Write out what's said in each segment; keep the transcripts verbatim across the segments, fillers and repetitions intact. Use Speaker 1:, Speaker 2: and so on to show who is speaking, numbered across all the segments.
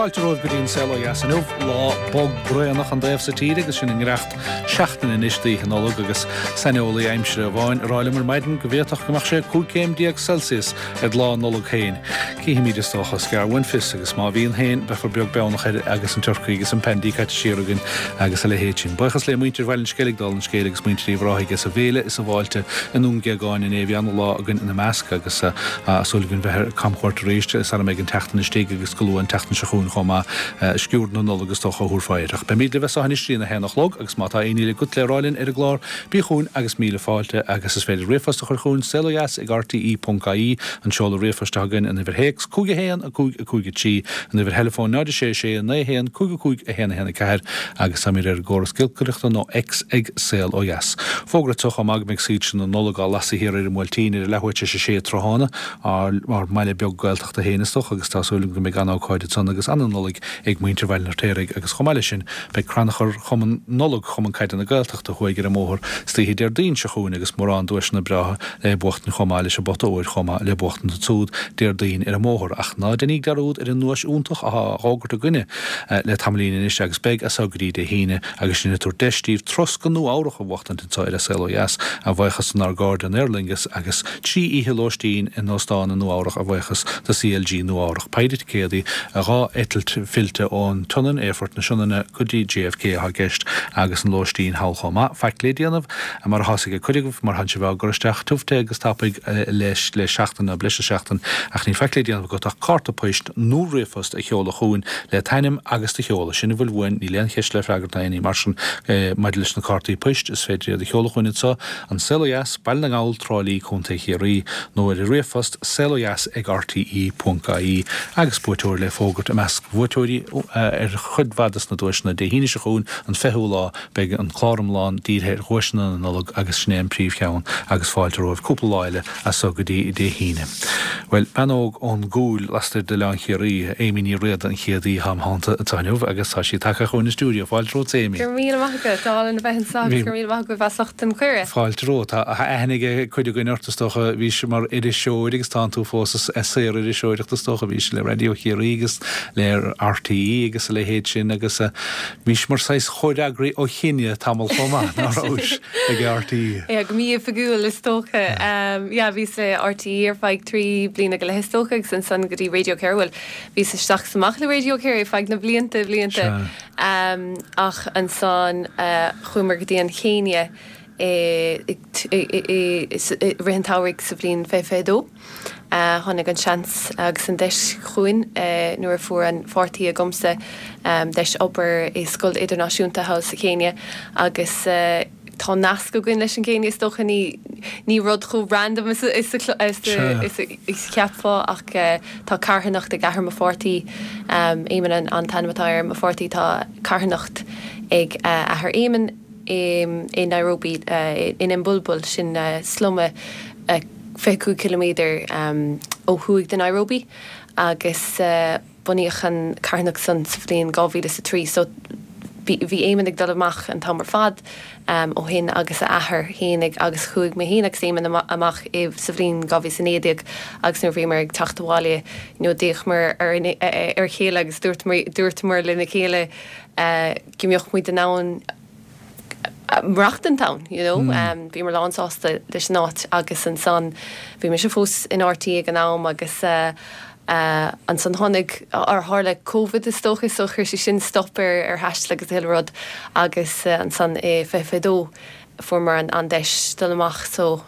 Speaker 1: Fáilte romhaibh go dtí an Saol Ó Dheas inniu, lá bog braonach an taobh sa tír agus sinn i ngiorracht seachtaine anois d'Oíche Nollag agus saineolaí aimsire amháin ag rá liom ar maidin go bhféadfadh go mbeadh sé cúig céim déag Celsius ar lá Nollag féin. Cífimid is dócha, is gearr uainn fios agus má bhíonn féin beifear beag beannach air agus an turcaí agus an pandy caite siar againn agus a leithéid sin. Buíochas le muintir Bhaile an Sceilg dála an scéil agus muintir Uíbh Ráthaigh as an bhféile is an bhfáilte i nDún Géagáin inné. Bhí ana-lá againn ina measc agus súil againn bheith ar camchuairt arís sara mbeidh an tseachtain istigh agus go luath an tseachtain seo chugainn chomh maith. Sciuird na Nollag is dócha a thabharfá air. Ach beimid libh as seo anois go dtí a haon a chlog agus má tá aon ní agat le rá linn ar an gclár, bí chugainn agus míle fáilte agus is féidir ríomhphost a chur chugainn, saolodheas ag rte ponc ie an seoladh ríomhphoist atá againn, an uimhir théacs cúig a haon a cúig a cúig a trí, an uimhir theileafóin náid a sé a sé naoi a haon cúig a cúig a haon a haon a ceathair agus táimid ar an gcóras giolcaireachta nó X ag Saol Ó Dheas. Fógra anseo chomh maith go mbeidh soilse na Nollag á lasadh thiar ar an mBuailtín ar a leathuair tar éis a sé tráthnóna, ár ár mbaile beag Gaeltachta féin is dócha agus tá súil agam go mbeidh an-ócáid ansan agus an-Nollaig ag muintir Bhaile an Fheirtéaraigh agus chomh maith leis sin beidh crannchur Chumann Nollag Chumann Caide na Gaeltachta thuaidh ar an mbóthar istoíche Déardaoin seo chugainn agus mórán duaiseanna breátha le buachtaint chomh maith leis an bpota óir chomh maith le buachtaint ansúd Déardaoin ar an mbóthar. Ach ná déanaíg dearúd ar an nduais iontach athá á fhógairt againne le tamaillín anois agus beidh as seo go dtí Dé hAoine agus sinn ag tabhairt deis daoibh turas go Nua Eabhrach a bhuachtaint anseo ar An Saol Ó Dheas a bhuíochas donár gcairde in Aer Lingus agus trí oíche lóistín in óstán i Nua Eabhrach a bhuíochas do C L G Nua Eabhrach. Péire ticéadaí, dhá eitilt fillte ón tSionainn, Aerfort na Sionainne, go dtí J F K atá i gceist agus an lóistín thall chomh maith. Faic le déanamh, mar atá ag cuid agaibh, mar thánn sibh á gcur isteach tiubh te agus tapaidh leis le seachtain nó breis is seachtain ach níl faic le déanamh agat ach cárta poist nó ríomhphost a sheoladh chugainn le t'ainm agus do sheoladh. Sin a bhfuil uainn, níl aon cheist le freagairt ná aon ní mar sin maidir leis na cártaí poist, is féidir iad a sheoladh chugainn anseo, An Saol Ó Dheas, Baile na nGall, Trá Lí, Contae Chiarraí, nó ar an ríomhphost saolodheas ag R T E ponc I E agus buaiteoir le fógairt i measc bhuaiteoirí ar chuid mhaith des na duaiseanna Dé hAoine seo chugainn, an fichiú lá, beidh an clár iomlán dírithe ar dhuaiseanna na Nollag agus sin é an príomhcheann agus fáilte romhaibh cúpla lá eile as so go dtí Dé hAoine. Bhuel, bean óg ón gCúil lastoir d'Oileán Chiarraí, Amy Ní Riada an chéad aoi atá im theannta anseo inniu agus tá sí tagtha chugainn an stiúideo. Fáilte romhat, Amy.
Speaker 2: Go raibh míle maith agat, álainn a bheith anseo agus go raibh míle maith agaibh as ucht an cuireadh.
Speaker 1: Fáilte romhat. Tá aithne ag cuid againn ort is dócha, bhís mar iriseoir agus tánn tú fós i saol iriseoireachta is dócha, bhís le Raidió Chiarraí agus le R T E agus a leithéid sin agus bhís mar saghas chomhfhreagraí ó Chéinia tamall chomh maith, ná rabhais ag R T E?
Speaker 2: Yeah, go mí-oifigiúil is dócha. Um, yeah, bhíos le R T E ar feadh trí bliana go leith is dócha agus ansan go dtí Radio Kerry. Well, bhíos isteach is amach le Radio Kerry feadh na blianta blianta. Um, ach ansan uh, chuamar go dtí an Chéinia i rith an tsamhraidh sa bhliain fiche fiche dó. Tháinig an seans agus an deis chugainn nuair a fuair an pháirtí agamsa deis obair i scoil idirnáisiúnta thall sa Chéinia agus tá nasc againn leis an gCéinia is dócha ní ní rud chomh random is is is cheapfá ach tá carthanacht ag athair mo pháirtí, Éamonn an an t-ainm atá ar mo pháirtí, tá carthanacht ag athair Éamonn i Nairobi in Embulbul, sin sluma fiche cúig ciliméadar ó thuaidh de Nairobi agus bunaíodh an carthanacht san sa bhliain dhá mhíle is a trí so bhí Éamonn ag dul amach an t-am ar fad ó shin agus a athair fhéinig agus chuaigh mé féin agus Éamonn amach sa bhliain dhá mhíle is a naoi déag agus nuair a bhíomar ag teacht abhaile you know d'fhéachamar ar ar a chéile agus dúirteamar lena chéile go mbeadh muid in ann maireachtaint ann, you know. Bhíomar lán sásta leis an áit agus ansan bhí mise fós in R T E ag an am agus ansan tháinig ar tharla Covid is dócha so chuir sé sin stop ar ar thaisteal agus chuile rud agus ansan i fiche fiche dó fuaireamar an deis dul amach so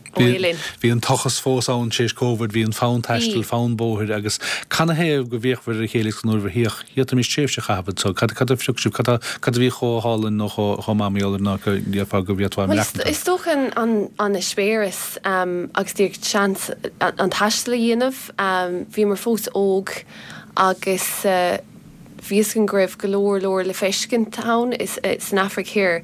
Speaker 1: Bhí an tochas fós ann tar éis Covid, bhí an fonn taistil, fonn bóthair agus canathaobh go bhféachfar ar a chéile agus nuair a bhíodh, d'fhéadfaimis tréimhse a chaitheamh anseo, cad cad a phioc sibh, cad cad a bhí chomh hálainn nó chomh chomh maith mar ná go ndéarfá go bhféadfá
Speaker 2: Bhuel is is dócha an an an eispéireas agus díreach seans an taisteal a dhéanamh. Bhíomar fós óg agus bhí fhios againn go raibh go leor leor le feiscint ann san Afraic Thoir.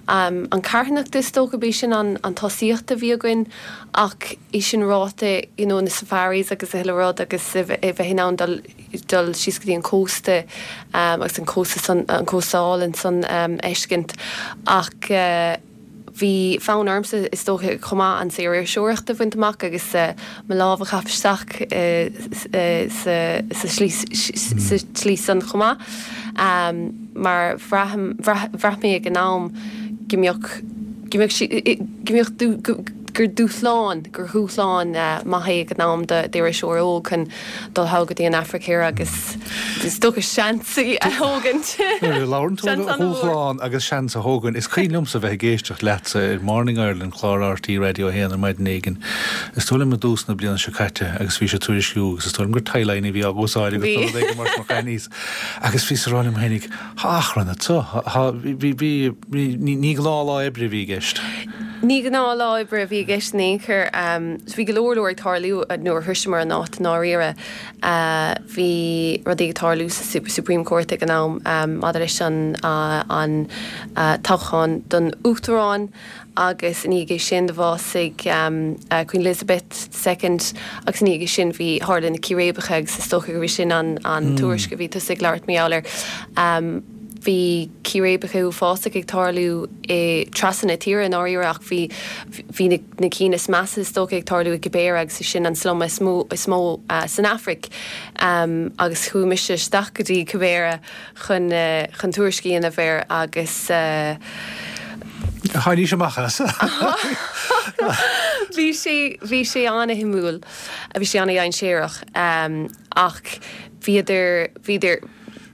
Speaker 2: An carthanacht is dócha b'é sin an an tosaíocht a bhí againn ach é sin ráite you know na safaris agus a thuilleadh rud agus a bheith in ann dul dul síos go dtí an cósta agus an cósta san an cósta álainn san fheiscint ach bhí fonn ormsa is dócha chomh maith an saoririseoireacht a bhaint amach agus mo lámh a chaitheamh isteach sa tslí san chomh maith mar bhraith mé ag an am go mbeadh go mbeadh sí go mbeadh gur dúshlán, gur dhúshlán maith é ag an am d'iriseoir óg chun dul thall go dtí an Afraic Thoir agus is dócha seans a thógaint.
Speaker 1: Nuair a labhrann tú ar dhúshlán agus seans a thógaint, is cuimhin liomsa bheith ag éisteacht leatsa ar Morning Ireland, clár RTÉ Radio a haon ar maidin éigin, is dóigh liom i dtús na bliana seo caite agus bhís ag tuairisciú agus is dóigh liom gur tie-line a bhí á úsáid agat nó rud éigin mar sin mar agus bhíos ag rá liom féinig, Tá achrann anseo, bhí, bhí, ní gnáthlá oibre a bhí i gceist.
Speaker 2: Ní gnáthlá oibre a bhí i gceist in aon chor. Bhí go leor leor ag tarlú nuair a shroiseamar an áit i ndáiríre. Bhí rudaí ag tarlú sa Supreme Court ag an am maidir leis an an toghchán don Uachtarán agus ina dhiaidh sin do bhásaigh Queen Elizabeth the Second agus ina dhiaidh sin bhí tharla na círéibeacha agus is dócha gurb é sin an an tuairisc a bhí tusa ag labhairt mar gheall air. Bhí círéibeacha uafásacha ag tarlú i trasna na tíre i ndáiríre ach bhí bhí na na cinn is measa is dócha ag tarlú i Kibera agus is sin an slum is mó is mó san Afraic agus chuaigh mise isteach go dtí Kibera chun chun tuairisc a dhéanamh air agus
Speaker 1: Tháinig amach as.
Speaker 2: Bhí sé bhí sé an-shuimiúil, bhí sé an-dhainséarach ach bhíodar bhíodar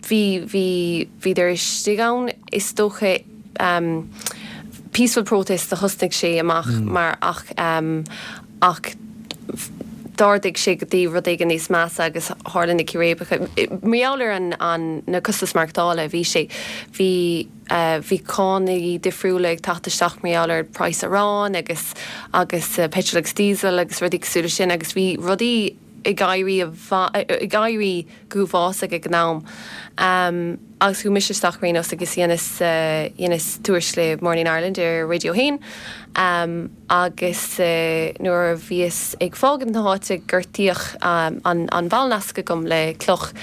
Speaker 2: bhí bhí bhíodar istigh ann is dócha um, peaceful protest a thosnaigh sé amach mm. mar ach um, ach d'ardaigh sé go dtí rud éigin níos measa agus tharla na círéibeacha. Mar gheall ar an, an na costas maireachtála bhí sé bhí uh, bhí cánacha difriúla ag teacht isteach mar gheall ar praghas aráin agus agus uh, petrol agus diesel agus rudaí cosúil leis sin agus bhí rudaí ag éirí ag éirí go huafásach ag an am. Um, agus chuaigh mise isteach rénos agus dhéanas uh, dhéanas tuairisc le Morning Ireland ar Radio haon. Um, agus uh, nuair a bhíos ag fágaint na háite gortaíodh um, an, an ballnasc agam le cloch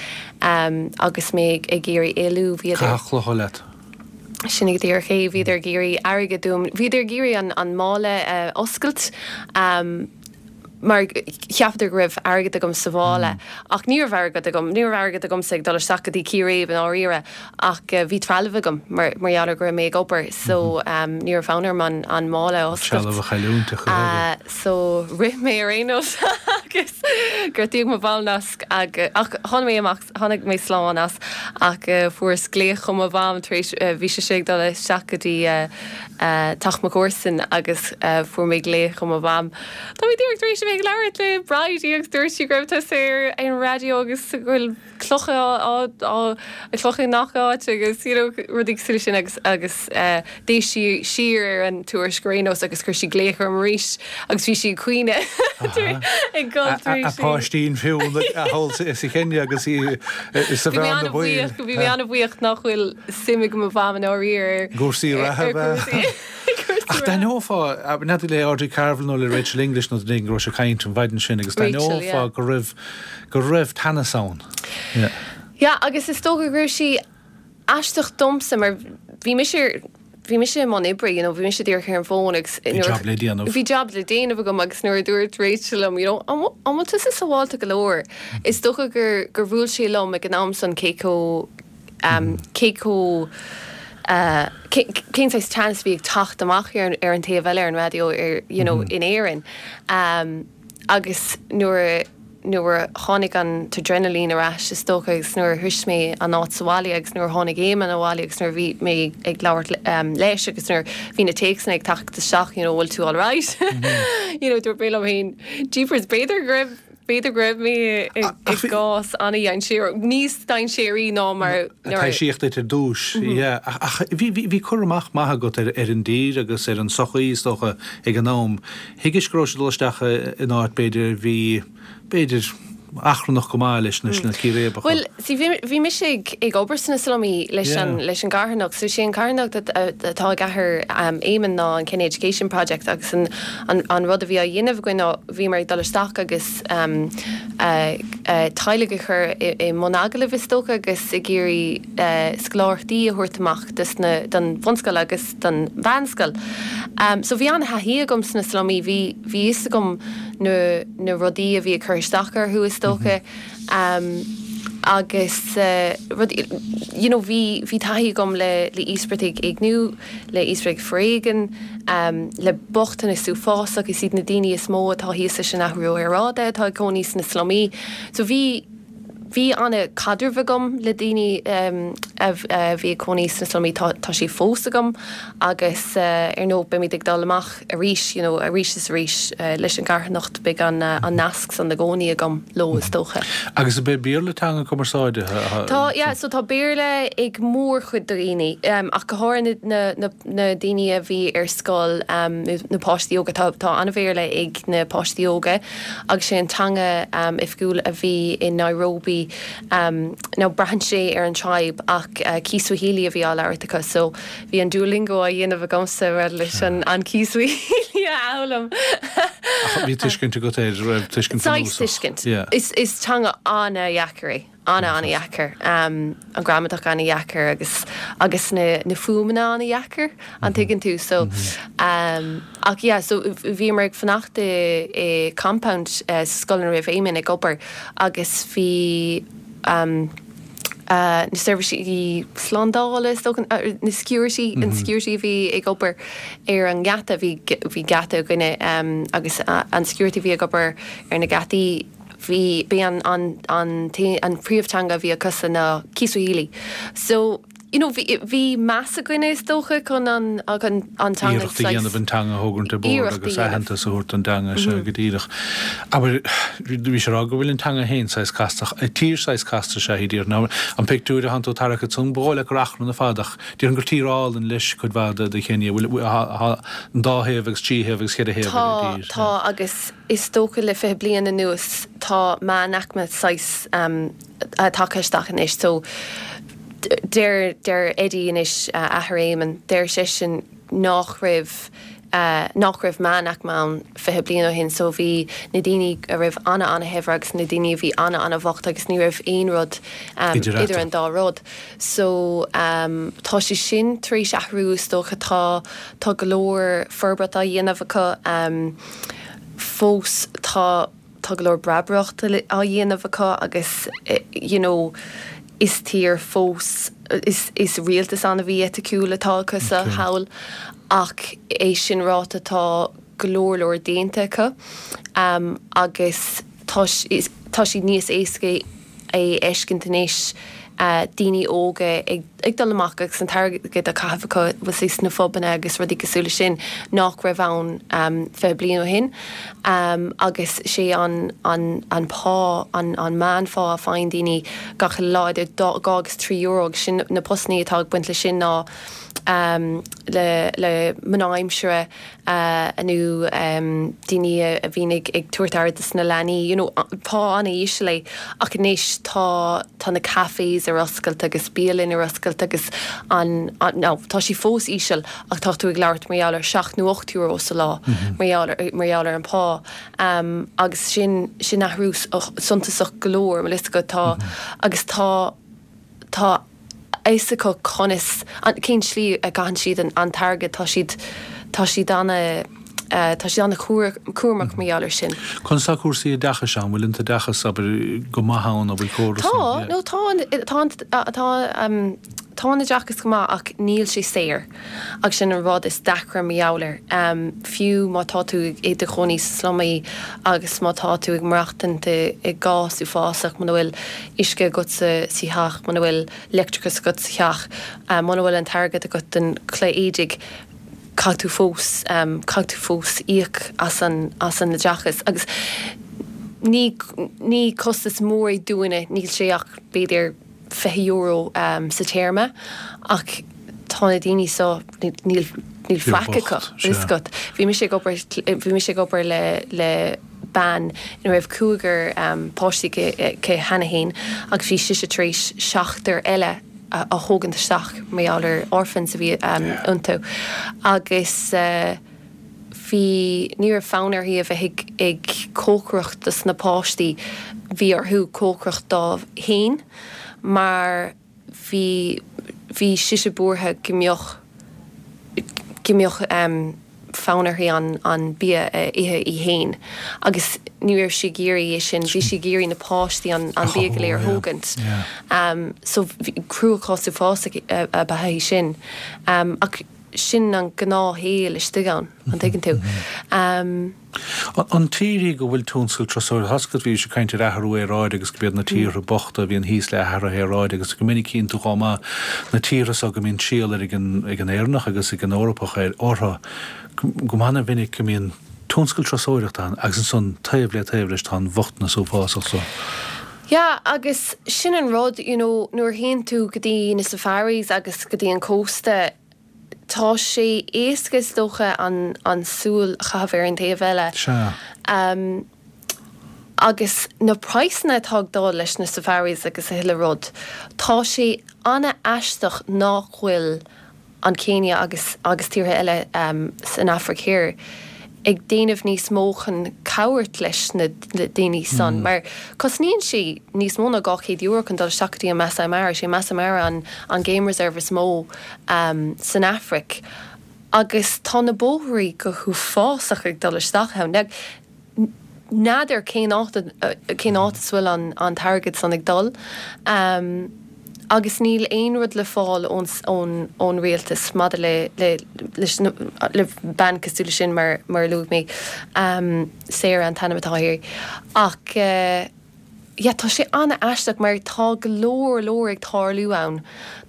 Speaker 2: um, agus mé ag iarraidh éalú bhí
Speaker 1: clocha leat.
Speaker 2: Sin ag dtír ché bhíodar ag iarraidh airgead uaim bhíodar ag iarraidh an, an mála uh, oscailt um, mar cheapadar go raibh airgead agam sa mhála mm. ach ní raibh airgead agam ní raibh airgead agamsa ag dul isteach go dtí círéib in áiríre ach uh, bhí trealamh agam mar mar gheall go raibh mé ag obair so um, ní raibh fonn orm an, an mála
Speaker 1: oscailt.
Speaker 2: Uh, so rith mé ar aon nós agus gortaíodh mo bhallnasc ag ach tháinig mé amach tháinig mé slán as ach uh, fuaireas glaoch ó mo mham tar éis uh, bhí sé ag dul isteach go dtí uh, uh, teach mo chomharsan agus uh, fuair mé glaoch ó mo mham. Tá mé díreach tar éis bheith ag labhairt le Bridie agus dúirt sí go raibh tusa ar an raidió agus go bhfuil clocha clocha i ngach áit agus you know, rudaí cosúil sin agus agus uh, d'éist sí siar ar an tuairisc ar aon nós agus chuir sí glaoch orm arís agus bhí sí ag caoineadh ag
Speaker 1: gol A páistín fiú a thol is i Kenya agus í is a bhean
Speaker 2: bhuíoch bhí mé an-bhuíoch nach bhfuil suim ag mo mham in áiríre
Speaker 1: Gúrsaí reatha. Ach d'aithneofá n'fheadar le Audrey Carville nó le Rachel English nó duine go raibh sé ag caint an mhaidin sin agus d'aithneofá go raibh go raibh teannas ann.
Speaker 2: Yeah. Yeah, agus is dócha go raibh sí aisteach domsa mar bhí mise bhí mise i mbun oibre, you know, bhí mise díreach ar an bhfón agus
Speaker 1: job le déanamh.
Speaker 2: Bhí job le déanamh agam agus nuair a dúirt Rachel liom, you know, an bhfuil tusa sábháilte go leor. Is dócha gur gur bhuail sé liom ag an am san cé chomh um, cé chomh uh, cén saghas teannas bhí ag teacht amach ar ar an taobh eile ar an raidió ar you know, mm -hmm. in Éirinn. Um, agus nuair nuair a tháinig an t-adrenaline ar ais is dócha agus nuair a shroich mé an áit sa bhaile agus nuair a tháinig Éamonn abhaile agus nuair bhí mé ag labhairt um, leis agus nuair bhí na téacsanna ag teacht isteach you know, bhfuil tú all right. Mm -hmm. you know, dúirt mé liom féin jeepers b'fhéidir go raibh b'fhéidir go raibh mé i gcás an-dainséarach níos dainséaraí ná mar
Speaker 1: Taisíocht ar dtús ach bhí cur amach maith agat ar ar an dtír agus ar an sochaí is dócha ag an am. Thuigis go raibh dul isteach in áit b'fhéidir bhí b'fhéidir achrannach go maith leis na círéibeacha.
Speaker 2: Bhuel, see, bhí bhí mise ag ag obair sna slumaí leis an leis an gcarthanacht, so sé an carthanacht atá ag athair Éamonn ná an Kenny Education Project agus an an an rud a bhí á dhéanamh againn ná bhíomar ag dul isteach agus teaghlaigh a chur i mbun agallaimh is dócha agus ag iarraidh scoláireachtaí a thabhairt amach dos na don bhunscoil agus don mheánscoil. So bhí an-thaithí agam sna slumaí, bhí bhí fhios agam na na rudaí a bhí ag cur isteach orthu is dócha agus rudaí you know bhí bhí taithí agam le le íospartaigh éigniú, le íospartaigh foréigin, le bochtanas uafásach, is iad na daoine is mó atá thíos leis an athrú aeráide atá ag cónaí sna slumaí. So bhí bhí an-chaidreamh agam le daoine a bhí ag cónaí sna slumaí, tá tá sé fós agam agus ar ndóigh beimid ag dul amach arís you know arís is arís leis an gcarthanacht, beidh an an nasc san i gcónaí agam leo is dócha.
Speaker 1: Agus ab é Béarla teanga cumarsáide?
Speaker 2: Tá, yeah, so tá Béarla ag mórchuid daoine ach go háirithe na na na daoine a bhí ar scoil na páistí óga, tá tá an-Bhéarla ag na páistí óga agus sé an teanga oifigiúil a bhí i Nairobi now braitheann sé ar an tribe ach Kiswahili a bhí á labhairt acu so bhí an Duolingo á dhéanamh agamsa leis an an Kiswahili a fhoghlaim.
Speaker 1: Ach bhí tuiscint agat air, raibh tuiscint
Speaker 2: Saghas tuiscint. Is is teanga an-dheacair é, an-an-dheacair. An gramadach an-dheacair agus agus na na fuaimeanna an-dheacair, an tuigeann tú so ach yeah so bhíomar ag fanacht i i compound sa scoil ina raibh Éamonn ag obair agus bhí um, na seirbhísí slándála is dócha na security an security a bhí ag obair ar an ngeata bhí bhí geata againne um, agus an security bhí ag obair ar na geataí bhí bhí an an an an príomhteanga a bhí acu ná Kiswahili. So you know, bhí bhí meas againne is dócha chun an an an teanga
Speaker 1: Iarracht a dhéanamh an teanga a thógaint ar bord agus aitheantas a thabhairt don teanga seo go díreach. Abair bhí sé rá go bhfuil an teanga féin saghas casta, tír saghas casta is ea í díreach. Now an pictiúr a thánn tú tarrac ansan ba dhóigh leat gur achrann ar fad ach déarfainn gur tír álainn leis cuid mhaith de de Kenya bhfuil an dá thaobh agus trí thaobh agus ceithre thaobh ar an
Speaker 2: Tá
Speaker 1: dtír.
Speaker 2: tá agus is dócha le fiche bliain anuas tá meánaicme saghas um, tagtha isteach anois so deir deir Eddie anois uh, athair Éamonn deir seisean nach raibh uh, nach raibh meánaicme ann fiche bliain ó shin so bhí na daoine a raibh ana ana-shaibhir agus na daoine a bhí ana ana-bhocht agus ní raibh aon rud um,
Speaker 1: Idir
Speaker 2: idir an dá rud. So um, tá sé sin tar éis athrú is dócha tá tá go leor forbairt á dhéanamh acu um, fós tá tá go leor breabaireacht á dhéanamh acu agus eh, you know, is tír fós is, is rialtas an-mhí-eiticiúil atá acu sa
Speaker 1: Okay.
Speaker 2: thall ach é sin ráite tá go leor leor déanta acu um, agus tá is- tá siad níos éasca é fheiscint anois uh, daoine óga ag, ag dul amach agus an t-airgead á chaitheamh acu was sna pubanna agus rudaí cosúil sin nach raibh ann um, fiche bliain ó shin um, agus sé an, an, an pá an, an meánphá a faigheann daoine gach lá idir dhá agus trí euro agus sin na postanna atá ag baint le sin ná um, le, le mná aimsire uh, nó um, daoine a bhíonn ag, ag tabhairt aire dos na leanaí you know, pá an-íseal é ach anois tá tá na cafés ar oscailt agus bialanna ar oscailt agus an, an no, tá sí fós íseal ach tá tú ag labhairt mar gheall ar seacht nó ocht euro sa lá mar gheall ar mar gheall ar an pá um, agus sin sin athrú suntasach go leor mar is go tá agus tá tá fhios acu conas cén slí a gcaitheann siad an, an t-airgead tá siad tá siad ana uh, tá siad ana cúramach mar gheall ar sin.
Speaker 1: Conas tá cúrsaí oideachais ann, bhfuil an t-oideachas abair go maith ann a bhfuil córas
Speaker 2: Tá nó tá tá tá um, tá an oideachas go maith ach níl sé saor ach sin an rud is deacra mar gheall air. Um, fiú má tá tú i do chónaí sa slumaí agus má tá tú ag maireachtaint i gcás uafásach muna bhfuil uisce agat sa sa teach, muna bhfuil leictreachas agat sa teach, um, muna bhfuil an t-airgead agat don chulaith éadaigh, caithfidh tú fós um, caithfidh tú fós íoc as an as an oideachas agus ní ní costas mór é dúinne níl sé ach b'fhéidir fiche euro um, sa téarma ach tá na daoine so níl níl faic acu
Speaker 1: bocht, sea.
Speaker 2: Scott. Bhí mise ag obair bhí mise ag obair le le bean ina raibh cúigear páistí aici cheana féin agus bhí sise tar éis seachtar eile a thógaint isteach mar gheall ar orphans a bhí iontu agus bhí ní raibh fonn uirthi a bheith ag cócaireacht dos na páistí bhí uirthi cócaireacht dóibh féin mar bhí bhí sise buartha go mbeadh go mbeadh fonn uirthi an an bia a ithe í féin agus ní raibh sí ag iarraidh é sin, bhí sí ag iarraidh na páistí an an bia go léir a thógaint. So cruachás uafásach ab ea é sin. Ach sin an gnáthshaol istigh ann, an dtuigeann tú.
Speaker 1: An tír í go bhfuil tionscal turasóireachta, tá a fhios agat bhí sé ag caint ar athrú aeráide agus go mb'iad na tíortha bochta a bhíonn thíos le hathruithe aeráide agus go minic tchíonn tú chomh maith na tíortha so go mbíonn triall ag an ag an Éireannach agus ag an Eorpach ar orthu go han-mhinic go mbíonn tionscal turasóireachta ann agus ansan taobh le taobh leis tá an bhochtanas uafásach so.
Speaker 2: Yeah agus sin an rud you know nuair a théann tú go dtí na safaris agus go dtí an cósta tá sé éasca is dócha an an súil a chaitheamh ar an taobh eile.
Speaker 1: Sea.
Speaker 2: Um, agus na praghsanna atá ag dul leis na safaris agus a thuilleadh rud, tá sé an-aisteach nach bhfuil an Céinia agus agus tíortha eile um, san Afraic Thiar ag déanamh níos mó chun cabhairt leis na daoine san, mar cosnaíonn sé níos mó ná dhá chéad euro chun dul isteach go dtí an Maasai Mara, sé Maasai Mara an an game reserve is mó san Afraic agus tá na bóithrí go huafásach ag dul isteach ann. Now, n'fheadar cén áit cén áit is bhfuil an an t-airgead san ag dul. Agus níl aon rud le fáil ón ón ón rialtas maidir le le leis na le bean cosúil leis sin mar mar a luaigh mé. Sarah an t-ainm atá uirthi. Ach yeah tá sé an-aisteach mar tá go leor leor ag tarlú ann.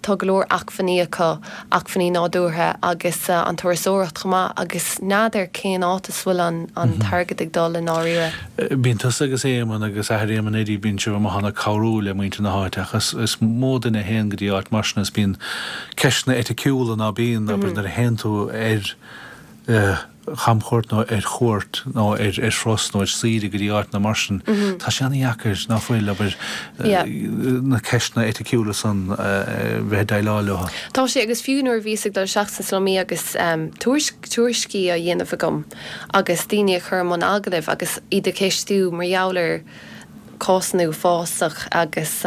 Speaker 2: Tá go leor acmhainní acu, acmhainní nádúrtha agus an turasóireacht chomh maith agus n'fheadar cén áit is bhfuil an an t-airgead ag dul i ndáiríre.
Speaker 1: Bíonn tusa agus Éamonn agus athair Éamonn Eddie, bíonn sibh amuigh ann ag cabhrú le muintir na háite ach is is mó duine a théann go dtí áit mar sin is bíonn ceisteanna eiticiúla ná bíonn, abair nuair a théann tú ar chamchuairt nó ar chuairt nó ar ar thuras nó ar saoire go dtí áiteanna mar sin, tá sé an-dheacair, ná fuil, abair, na ceisteanna eiticiúla san bheith ag déileáil leo.
Speaker 2: Tá sé, agus fiú nuair a bhíos ag dul isteach sna slumaí agus tuairiscí á dhéanamh agam agus daoine a chur i mbun agallaimh agus iad a cheistiú mar gheall ar cásanna uafásach agus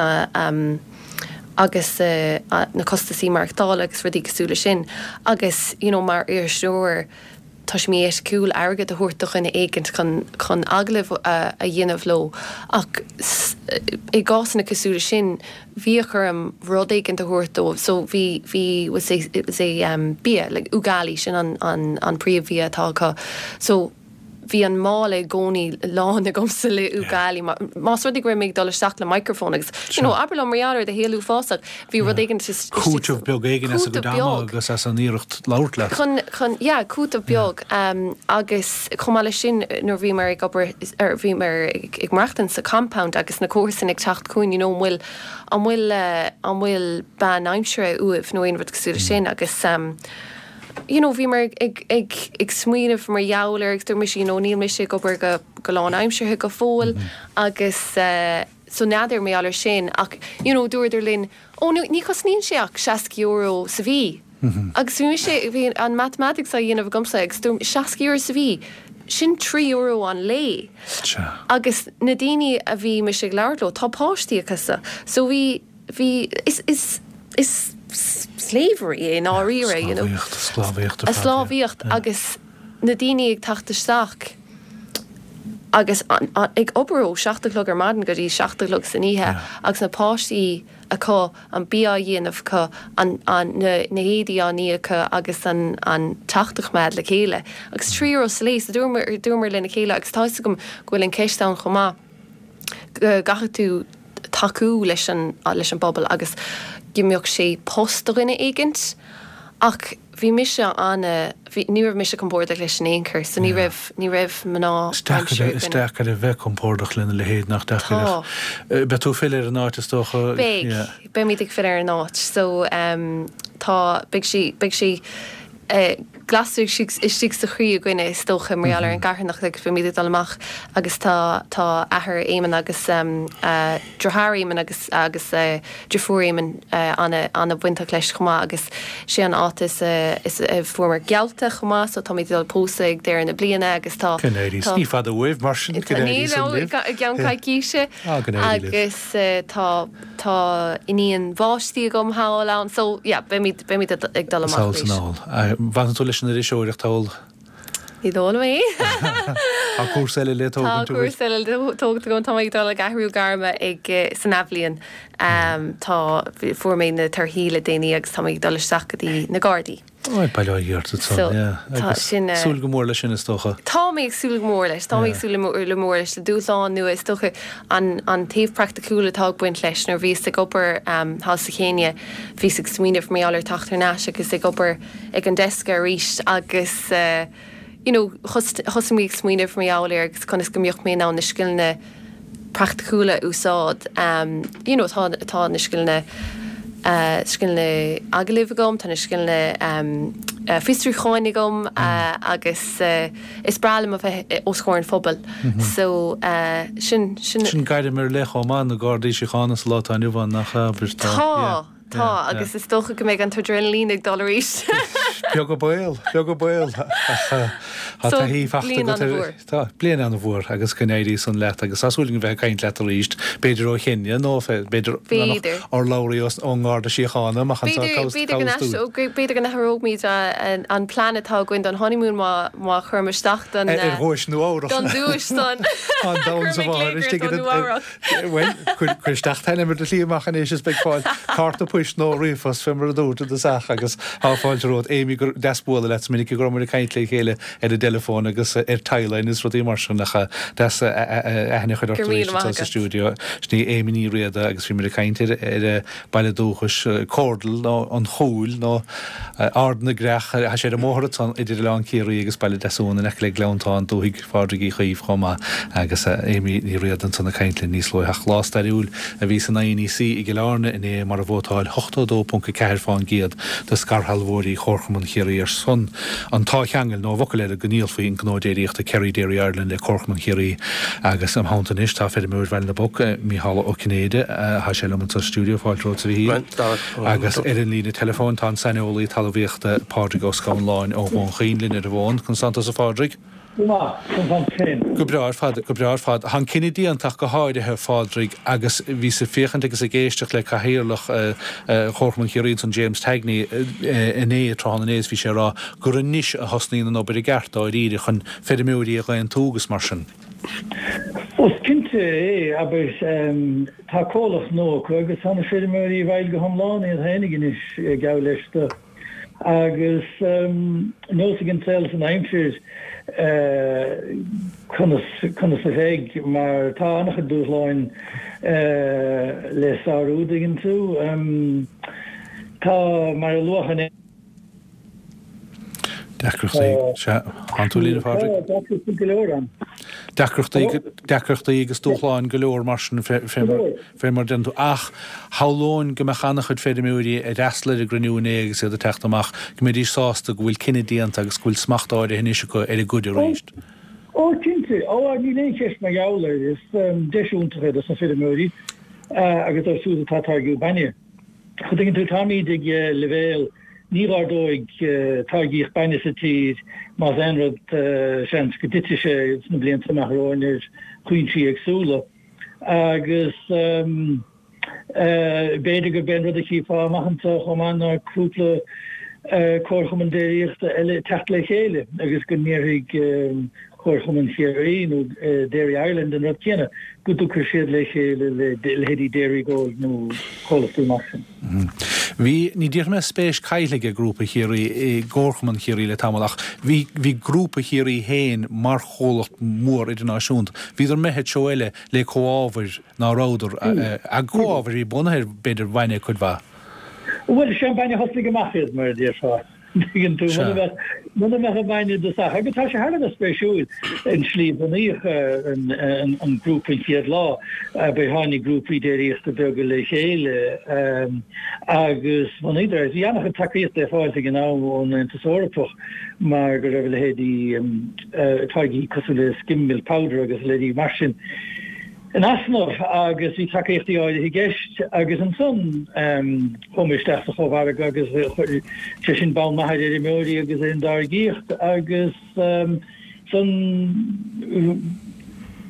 Speaker 2: agus na costasaí maireachtála agus rudaí cosúil leis sin agus you know mar iriseoir tá sé mí-eiticiúil airgead a thabhairt do dhuine éigint chun chun agallamh a dhéanamh leo ach i gcásanna cosúil leis sin bhíodh orm rud éigint a thabhairt dóibh so bhí bhí was é was é um bia like ugali sin an an an príomhbhia atá acu so bhí an mála i gcónaí lán agamsa le ugali más rud é go raibh mé ag dul isteach le microphone agus you know abair liom mar gheall ar do shaol uafásach bhí rud éigin
Speaker 1: Cúiteamh beag éigin as a gcuid ama agus as an iarracht labhairt leat.
Speaker 2: Chun chun yeah cúiteamh beag um, agus chomh maith leis sin nuair bhíomar ag obair ar bhíomar ag ag maireachtaint sa compound agus na comharsain ag teacht chugainn you know an bhfuil an bhfuil uh, an bhfuil bean aimsire uaibh nó aon rud cosúil leis sin agus um, you know bhíomar ag ag ag smaoineamh mar gheall air agus dúirt mise you know níl mise ag obair go go lánaimseartha go fóill agus uh, so n'fheadar mar gheall air sin ach you know dúradar linn ó ní ní chosnaíonn sé ach seasca euro sa mhí. Agus bhí mise bhí an mathematics á dhéanamh agamsa agus dúirt seasca euro sa mhí sin trí euro an lae. Agus na daoine a bhí mise ag labhairt leo tá páistí acu so so bhí bhí is is is slavery é i ndáiríre you know.
Speaker 1: Sclábhaíocht, sclábhaíocht ar
Speaker 2: A
Speaker 1: fad, yeah.
Speaker 2: sclábhaíocht agus na daoine ag teacht isteach agus an, an, ag obair ó seacht a chlog ar maidin go dtí seacht a chlog san oíche
Speaker 1: Yeah.
Speaker 2: agus na páistí acu an bia á dhéanamh acu an, an, na, na héadaí á ní acu agus an, an teach á choimeád le chéile. Agus trí euro sa lae so dúramar dúramar lena chéile agus tá fhios agam go bhfuil an ceist ann chomh maith go gcaithfidh tú tacú leis an leis an bpobal agus go mbeadh sé post do dhuine éigint ach bhí mise an bhí ní raibh mise compordach leis in aon chor so ní raibh ní raibh mná
Speaker 1: Is deacair is deacair a bheith compordach lena leithéid nach deacair
Speaker 2: Tá.
Speaker 1: Beidh tú ag filleadh ar an áit is dócha
Speaker 2: Beidh beimid ag filleadh ar an áit so um, tá beidh sí beidh sí Glastar istigh sa chroí againne is dócha mar gheall ar an gcarthanacht agus beimid ag dul amach agus tá tá athair Éamonn agus deartháir Éamonn agus agus deirfiúr Éamonn ana ana bhainteach leis chomh maith agus sé an áit is is fuaireamar geallta chomh maith so táimid ag dul pósadh ag deireadh na bliana agus tá
Speaker 1: Go n-éirí Ní fada uaibh mar sin go n-éirí san libh.
Speaker 2: I gceann coicíse
Speaker 1: Ah, go n-éirí libh.
Speaker 2: agus tá tá iníon bháistí agam thall ann so yeah beimid beimid ag dul amach
Speaker 1: Sall san
Speaker 2: arís.
Speaker 1: ál. Fanann tú leis an iriseoireacht thall?
Speaker 2: Ní dóigh liom é.
Speaker 1: Tá cúrsa eile le
Speaker 2: Tá
Speaker 1: tógaint uait.
Speaker 2: cúrsa eile le tógaint agam, tá mé ag dul ag athrú gairme ag san athbhliain. Tá fuair mé na torthaí le déanaí agus tá mé ag dul isteach go dtí na Gardaí.
Speaker 1: Ó, bail ó Dhia ort
Speaker 2: So,
Speaker 1: ansan, yeah.
Speaker 2: tá
Speaker 1: Agus
Speaker 2: sin,
Speaker 1: súil go mór leis sin is dócha.
Speaker 2: Tá mé ag súil go mór leis, tá mé ag súil le mór leis, le dúshlán nua is dócha an an taobh praiticiúil atá ag baint leis nuair bhíos ag obair thall sa Chéinia, bhíos ag smaoineamh mar gheall ar teacht thar n-ais agus ag obair ag an desk arís agus you know thosaigh mé ag smaoineamh mar gheall air agus conas go mbeadh mé in ann na scileanna praiticiúla a úsáid. You know tá tá na scileanna scileanna agallaimh agam, tá na scileanna fiosrúcháin agam agus is breá liom a bheith os comhair an phobail. So sin sin.
Speaker 1: Sin gairm ar leith chomh maith, na Gardaí Síochána sa lá atá inniu ann, nach ea?
Speaker 2: Tá, tá, agus is dócha go mbeidh an t-adrenaline ag dul arís.
Speaker 1: Beag an baol, beag an baol, ach tá
Speaker 2: So,
Speaker 1: taithí fachta
Speaker 2: bliain
Speaker 1: agat ar,
Speaker 2: an-mhór.
Speaker 1: tá, bliain an-mhór agus go n-éirí san leat agus tá súil againn bheith ag caint leat arís, b'fhéidir ó Chéinia nó b'fhéidir
Speaker 2: B'fhéidir.
Speaker 1: urlabhraí ón nGarda Síochána amach anseo
Speaker 2: B'fhéidir,
Speaker 1: cabhas,
Speaker 2: b'fhéidir go
Speaker 1: cabhas
Speaker 2: n-aistr-
Speaker 1: dúinn.
Speaker 2: ó, b'fhéidir go n-athróimid an, an plean atá againn don honeymoon má, má chuirim isteach don,
Speaker 1: Ar ar dhuais Nua-Eabhrac.
Speaker 2: don duais san.
Speaker 1: An domhan sa
Speaker 2: Cuirfidh
Speaker 1: mháthair
Speaker 2: glaoch
Speaker 1: istigh
Speaker 2: ort ó
Speaker 1: ar an-
Speaker 2: Nua-Eabhrac.
Speaker 1: Bhuel, cuir, cuir isteach t-ainm ar do shlí amach anois is beidh fáil cárta poist nó ríomhphost fé mar a dúirt i dtosach agus tá fáilte romhat. Amy, gur deas bualadh leat, is minic go raibh muid ag caint le chéile ar an dteileafón agus ar timeline is rudaí mar sin ach deas aithne a chur ort
Speaker 2: Go raibh míle
Speaker 1: arís
Speaker 2: maith
Speaker 1: anseo sa
Speaker 2: agat.
Speaker 1: stiúideo. Sin í Amy Ní Riada agus bhí muid ag caint ar ar a baile dúchais Cordal nó an Chúil nó Ard na gCreach, tá sé ar an mbóthar ansan idir Oileán Ciarraí agus Baile Deasún in aice le Gleanntán, dúthaigh Phádraig Uí Chaoimh chomh maith agus Amy Ní Riada ansan ag caint linn níos luaithe. Ach lá stairiúil a bhí san I N E C i gCill Airne inné mar a vótáil ochtó dó ponc a ceathair fán gcéad de scairshealbhóirí Chomharchumann Chiarraí ar son an táthcheangail nó i bhfocail eile go ndíolfaí an gnó déiríochta Kerry Dairy Ireland le Comharchumann Chiarraí agus im theannta anois tá feirmeoir Bhaile na bPoc, Mícheál Ó Cinnéide, tá sé liom anseo sa stiúideo, fáilte romhat a Mhíchíl. Agus ar an líne teileafóin tá an saineolaí talmhaíochta Pádraig Ó Scanláin ó Dhún Chaoin linn ar an bhfón. Conas tánn tusa a Phádraig?
Speaker 3: Go maith, conas tánn tú féin?
Speaker 1: Go breá ar fad, go breá ar fad. Tá an cinneadh déanta ach go háirithe, a Phádraig, agus bhíos ag féachaint agus ag éisteacht le Cathaoirleach Chomharchumann Chiarraí ansan James Tagney inné, tráthnóna inné, is bhí sé ag rá gur anois a thosnaíonn an obair i gceart dáiríre chun feirmeoirí a dh'aontú agus mar sin.
Speaker 3: Is cinnte é, abair, tá comhlacht nua acu agus tá na feirmeoirí i bhfeighil go hiomlán iad féinig anois, gabh leis do. Agus nós ag an saol is an aimsir conas conas a bheidh mar tá an-chuid dúshláin le sárú, dtuigeann tú. Tá, mar a luadh inné.
Speaker 1: Deacrachtaí, sea. Tánn tú linn, a Phádraig?
Speaker 3: Tá deacrachtaí go leor ann.
Speaker 1: Deacrachtaí, deacrachtaí agus dúshláin go leor mar sin fé, fé mar, fé mar deireann tú. Ach shamhlóinn go mbeadh an-chuid feirmeoirí a d'fhreastail ar an gcruinniú inné agus iad ag teacht amach, go mbeidís sásta go bhfuil cinneadh déanta agus go bhfuil smacht áirithe anois acu ar a gcuid arís.
Speaker 3: Ó, cinnte. Ó, níl aon cheist mar gheall air. Is deis iontach é dos na feirmeoirí agus dóibh siúd atá ag táirgeadh bainne. An dtuigeann tú, táimid ag leibhéal ní ardóidh táirgeadh bainne sa tír, más aon rud, seans go dtitfidh sé sna blianta amach romhainn ar chúinsí éagsúla. Agus b'fhéidir gurb é an rud a chífeá amach anseo chomh maith ná cúpla comharchumann déiríochta eile ag teacht le chéile agus go ndéarfaidh Comharchumann Chiarraí nó Dairy Ireland an rud céanna, go dtiocfaidh siad le chéile le leithéidí Dairygold nó comhlachtaí mar sin.
Speaker 1: Bhí, ní déarfaidh mé spéis caillte ag Grúpa Chiarraí i gComharchumann Chiarraí le tamall ach bhí, bhí Grúpa Chiarraí féin mar chomhlacht mór idirnáisiúnta. Bhíodar imithe treo eile le comhábhair ná rabhadar, ag comhábhair a bhí bunaithe ar b'fhéidir bhainne cuid mhaith.
Speaker 3: Bhuel, is é an bainne a thosnaigh amach iad, mar a déarfá. Tuigeann tú, muna mbeadh, muna mbeadh an bainne i dtosach. Agus tá sé thar a bheith spéisiúil an tslí a bunaíodh an, an, an grúpa an chéad lá. Ba tháinig grúpaí déiríochta beaga le chéile agus bhunaíodar é. Bhí an-chuid tacaíochta ar fáil ag an am ón Aontas Eorpach mar go raibh a leithéidí táirgí cosúil le skim milk powder agus a leithéidí mar sin in easnamh agus bhí tacaíochtaí áirithe i gceist agus ansan chuaigh muid isteach sa chómhargadh agus chuir sé sin bonn maith ar fheirmeoirí agus ar an dtáirgíocht agus san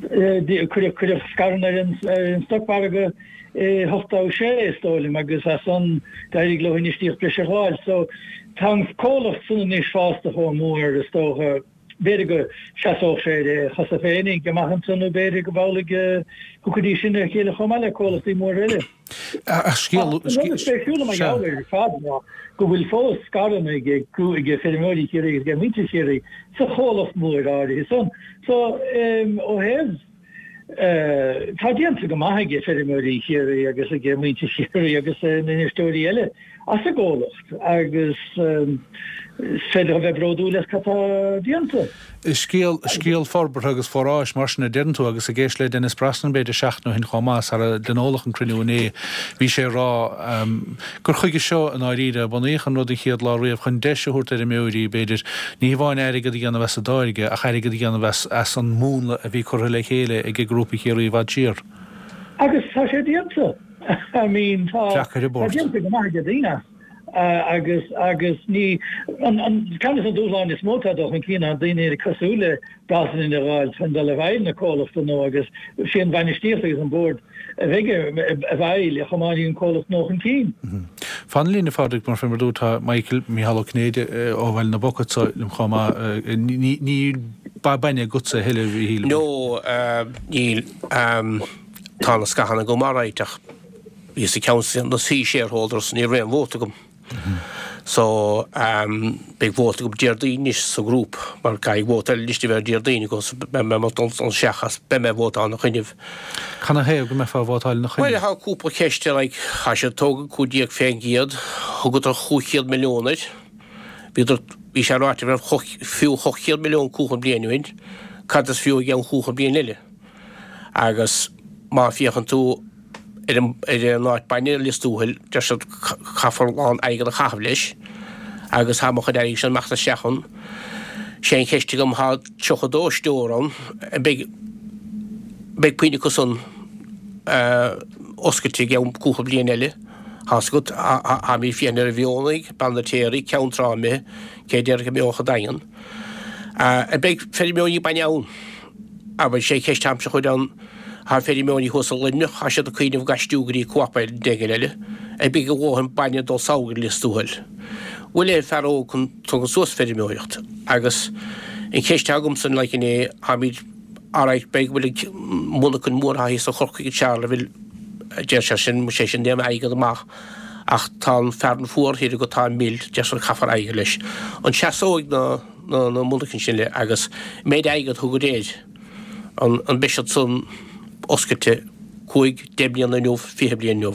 Speaker 3: cuireadh cuireadh scaireanna ar an ar an stocmhargadh i hochtó sé is dóigh liom agus as san d'éirigh leo infheistíocht breise a fháil so tá an comhlacht san anois fásta chomh mór is dócha B'fhéidir go seasódh sé ar a chosa féinig amach anso nó b'fhéidir go amhlaidh go dtiocfaidís sin ar a chéile chomh maith le comhlachtaí móra eile.
Speaker 1: Ach scéal.
Speaker 3: An rud is spéisiúla mar gheall air ar fad ná go bhfuil fós scaireanna ag feirmeoirí Chiarraí agus ag muintir Chiarraí sa chomhlacht mór áirithe san. So, ó thaobh, tá déanta go maith ag feirmeoirí Chiarraí agus ag muintir Chiarraí agus na n-infheisteoirí eile as an gcomhlacht agus is féidir a bheith bródúil as cad tá déanta.
Speaker 1: Scéal, scéal forbartha agus foráis mar sin a deireann tú agus ag éisteacht le Denis Brosnan b'fhéidir seachtain ó shin chomh maith sara dtionóladh an cruinniú inné bhí sé ag rá gur chuige seo i ndáiríre a bunaíodh an rud an chéad lá riamh chun deis a thabhairt d'fheirmeoirí b'fhéidir ní hamháin airgead a dhéanamh as a dtáirge ach airgead a dhéanamh as as an múnla a bhí curtha le chéile ag Grúpa Chiarraí i bhfad siar.
Speaker 3: Agus tá sé déanta. I mean tá
Speaker 1: Deacair a
Speaker 3: tá
Speaker 1: bport.
Speaker 3: déanta go maith ag daoine as agus agus ní an an ceann de na dúshláin is mó atá ag dul chun cinn ná daoine cosúil le Brosnan a fháil chun dul i bhfeighil na comhlachta nua agus sé an bhainistíocht agus an bord a bheidh i bhfeighil a thiomáinfidh an comhlacht nua chun cinn.
Speaker 1: Fan linn a Phádraig mar fé mar dúirt tá Michael Mícheál Ó Cinnéide ó Bhaile na bPoc anseo liom chomh maith. Níl bainne agatsa a thuilleadh a Mhíchíl.
Speaker 4: No, níl. Tá na scaireanna agam alright ach bhíos i gceann de na shareholders ní raibh aon vóta agam. So beidh vóta agam Déardaoin anois sa ghrúpa mar caithfidh vóta eile anois a bheith ar Déardaoin agam so beidh mé ag dul isteach as beidh mé ag vótáil ina choinnibh.
Speaker 1: Canathaobh go mbeifeá ag vótáil ina
Speaker 4: Bhuel
Speaker 1: choinne?
Speaker 4: tá cúpla ceist like tá sé tógtha cúig déag fén gcéad, thugadar chúig chéad milliún air, bhíodar, bhí sé ráite go raibh fiú ocht chéad milliún cúpla bliain ó shin, cad is fiú i gceann cúpla bliain eile? Agus má féachann tú ar an ar an áit bainne i Lios Tuathail, deir siad caithfear a lán airgead a chaitheamh leis agus tá mo chuid airgid sin amach is isteach ann. Sé an cheist agam, tá tríocha dó stór ann, an mbeidh beidh puinn acu san oscailte i gceann cúpla bliain eile? Tá's agat, táimid ag féachaint ar an mhionlaigh, Beann na Téaraí, Ceann Trá imithe, cé déarfadh go mbeodh an Daingean? An mbeidh feirmeoirí bainne ann? Abair, sé ceist atáimse a chur ann, tá feirmeoirí thuas i Luimneach, tá siad ag cuimhneamh ag aistriú go dtí co-op éigin eile, an mbeidh a dhóthain bainne ag dul sall go Lios Tuathail. Bhfuil aon fear óg chun tógaint suas feirmeoireacht? Agus an cheist atá agamsa like inné, táimid, alright, beidh go bhfuil an monarchain mhór atá thíos i Chorcaigh i Charleville, deir sé sin, sé sin déanamh airgead amach, ach tá an fearann fuar thiar agat, tá an mil, deir siad caithfear airgead leis. An seasóidh na. na monarchain sin le agus méid airgead thugad air an an mbeidh siad san oscailte cúig, deich mbliana inniu, fiche bliain inniu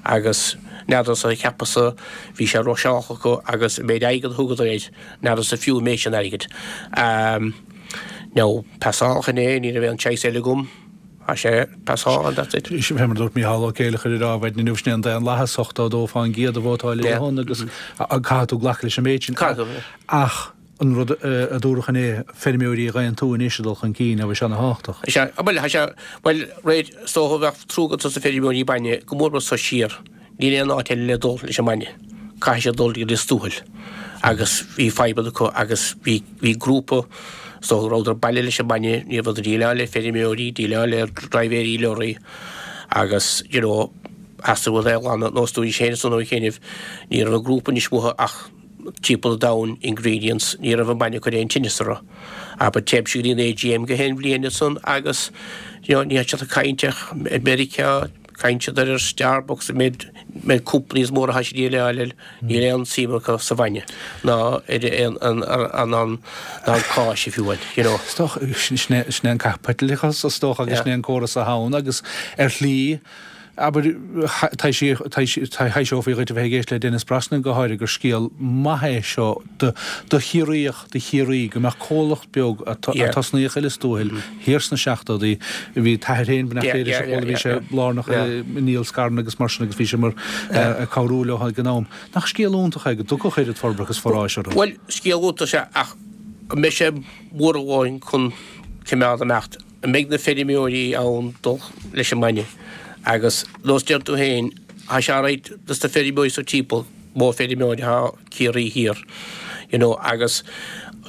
Speaker 4: agus n'fheadarsa cheapas-sa bhí sé rusháilte acu agus an méid airgead thugadar air n'fheadarsa fiú an méid sin airgid. Now pasálach inné ní raibh aon choice eile agam tá sé pasáil and that's it.
Speaker 1: Fé mar dúirt Mícheál Ó Céileachair ar maidin inniu sin é an daonlathas ochtó dó fán gcéad a vótáil ar a shon agus caithfidh tú glacadh leis an méid sin.
Speaker 4: Caithfidh tú.
Speaker 1: Ach an rud a dúradh inné, feirmeoirí a dh'aontú anois a dul chun cinn, a bhí sé ana-thábhachtach.
Speaker 4: Is ea, bhuel, tá sé, bhuel, réir, is dócha bheadh trua agat dos na feirmeoirí bainne, go mór mór so siar, níl aon áit eile le dul leis an mbainne, caithfidh siad dul go Lios Tuathail agus bhí fadhbanna acu agus bhí, bhí grúpa, is dócha go rabhadar baile leis an mbainne, ní rabhadar déileáil le feirmeoirí, déileáil le dribhéirí leoraí agus, you know, theastaigh uathu é a ghlanadh, nós dúinn féin ansan ó chianaibh, ní raibh an grúpa anois uathu ach, timpeall an domhain ingredients ní raibh an bainne ag cur aon tinneas orthu. Abair téimse go dtí an AGM gach aon bhliain ansan agus you know ní siad ag caint ach ar Meiriceá, caint siad ar Starbucks an méid méid companies móra atá siad ag déileáil níl aon suim acu sa bhainne ná ar aon an an an ná an cáis if you will, you know.
Speaker 1: Is dócha sin é sin é an caipitleachas is dócha agus sin é an córas atá ann agus ar shlí Abair, thaibhseofaí dhuit a bheith ag éisteacht le Denis Brosnan go háirithe gur scéal maith é seo do Chiarraíoch, do Chiarraí, go mbeadh comhlacht beag a tosnaíodh i Lios Tuathail thiar sna seachtóidí, bhí t'athair féin, beannacht Dé leis, a chuala, bhí sé lárnach i ndíol scaireanna agus mar sin agus bhí sé mar ag cabhrú leo ag an am. Nach scéal iontach é go dtiocfadh oiread forbartha agus foráis orthu?
Speaker 4: Bhuel, scéal iontach is ea ach an mbeidh sé mór a dhóthain chun coimeád imeacht? An mbeidh na feirmeoirí ann dul leis an mbainne? Agus nós deir tú féin, tá sé alright dos na feirmeoirí sa timpeall, mó feirmeoir atá Ciarraí thiar, you know, agus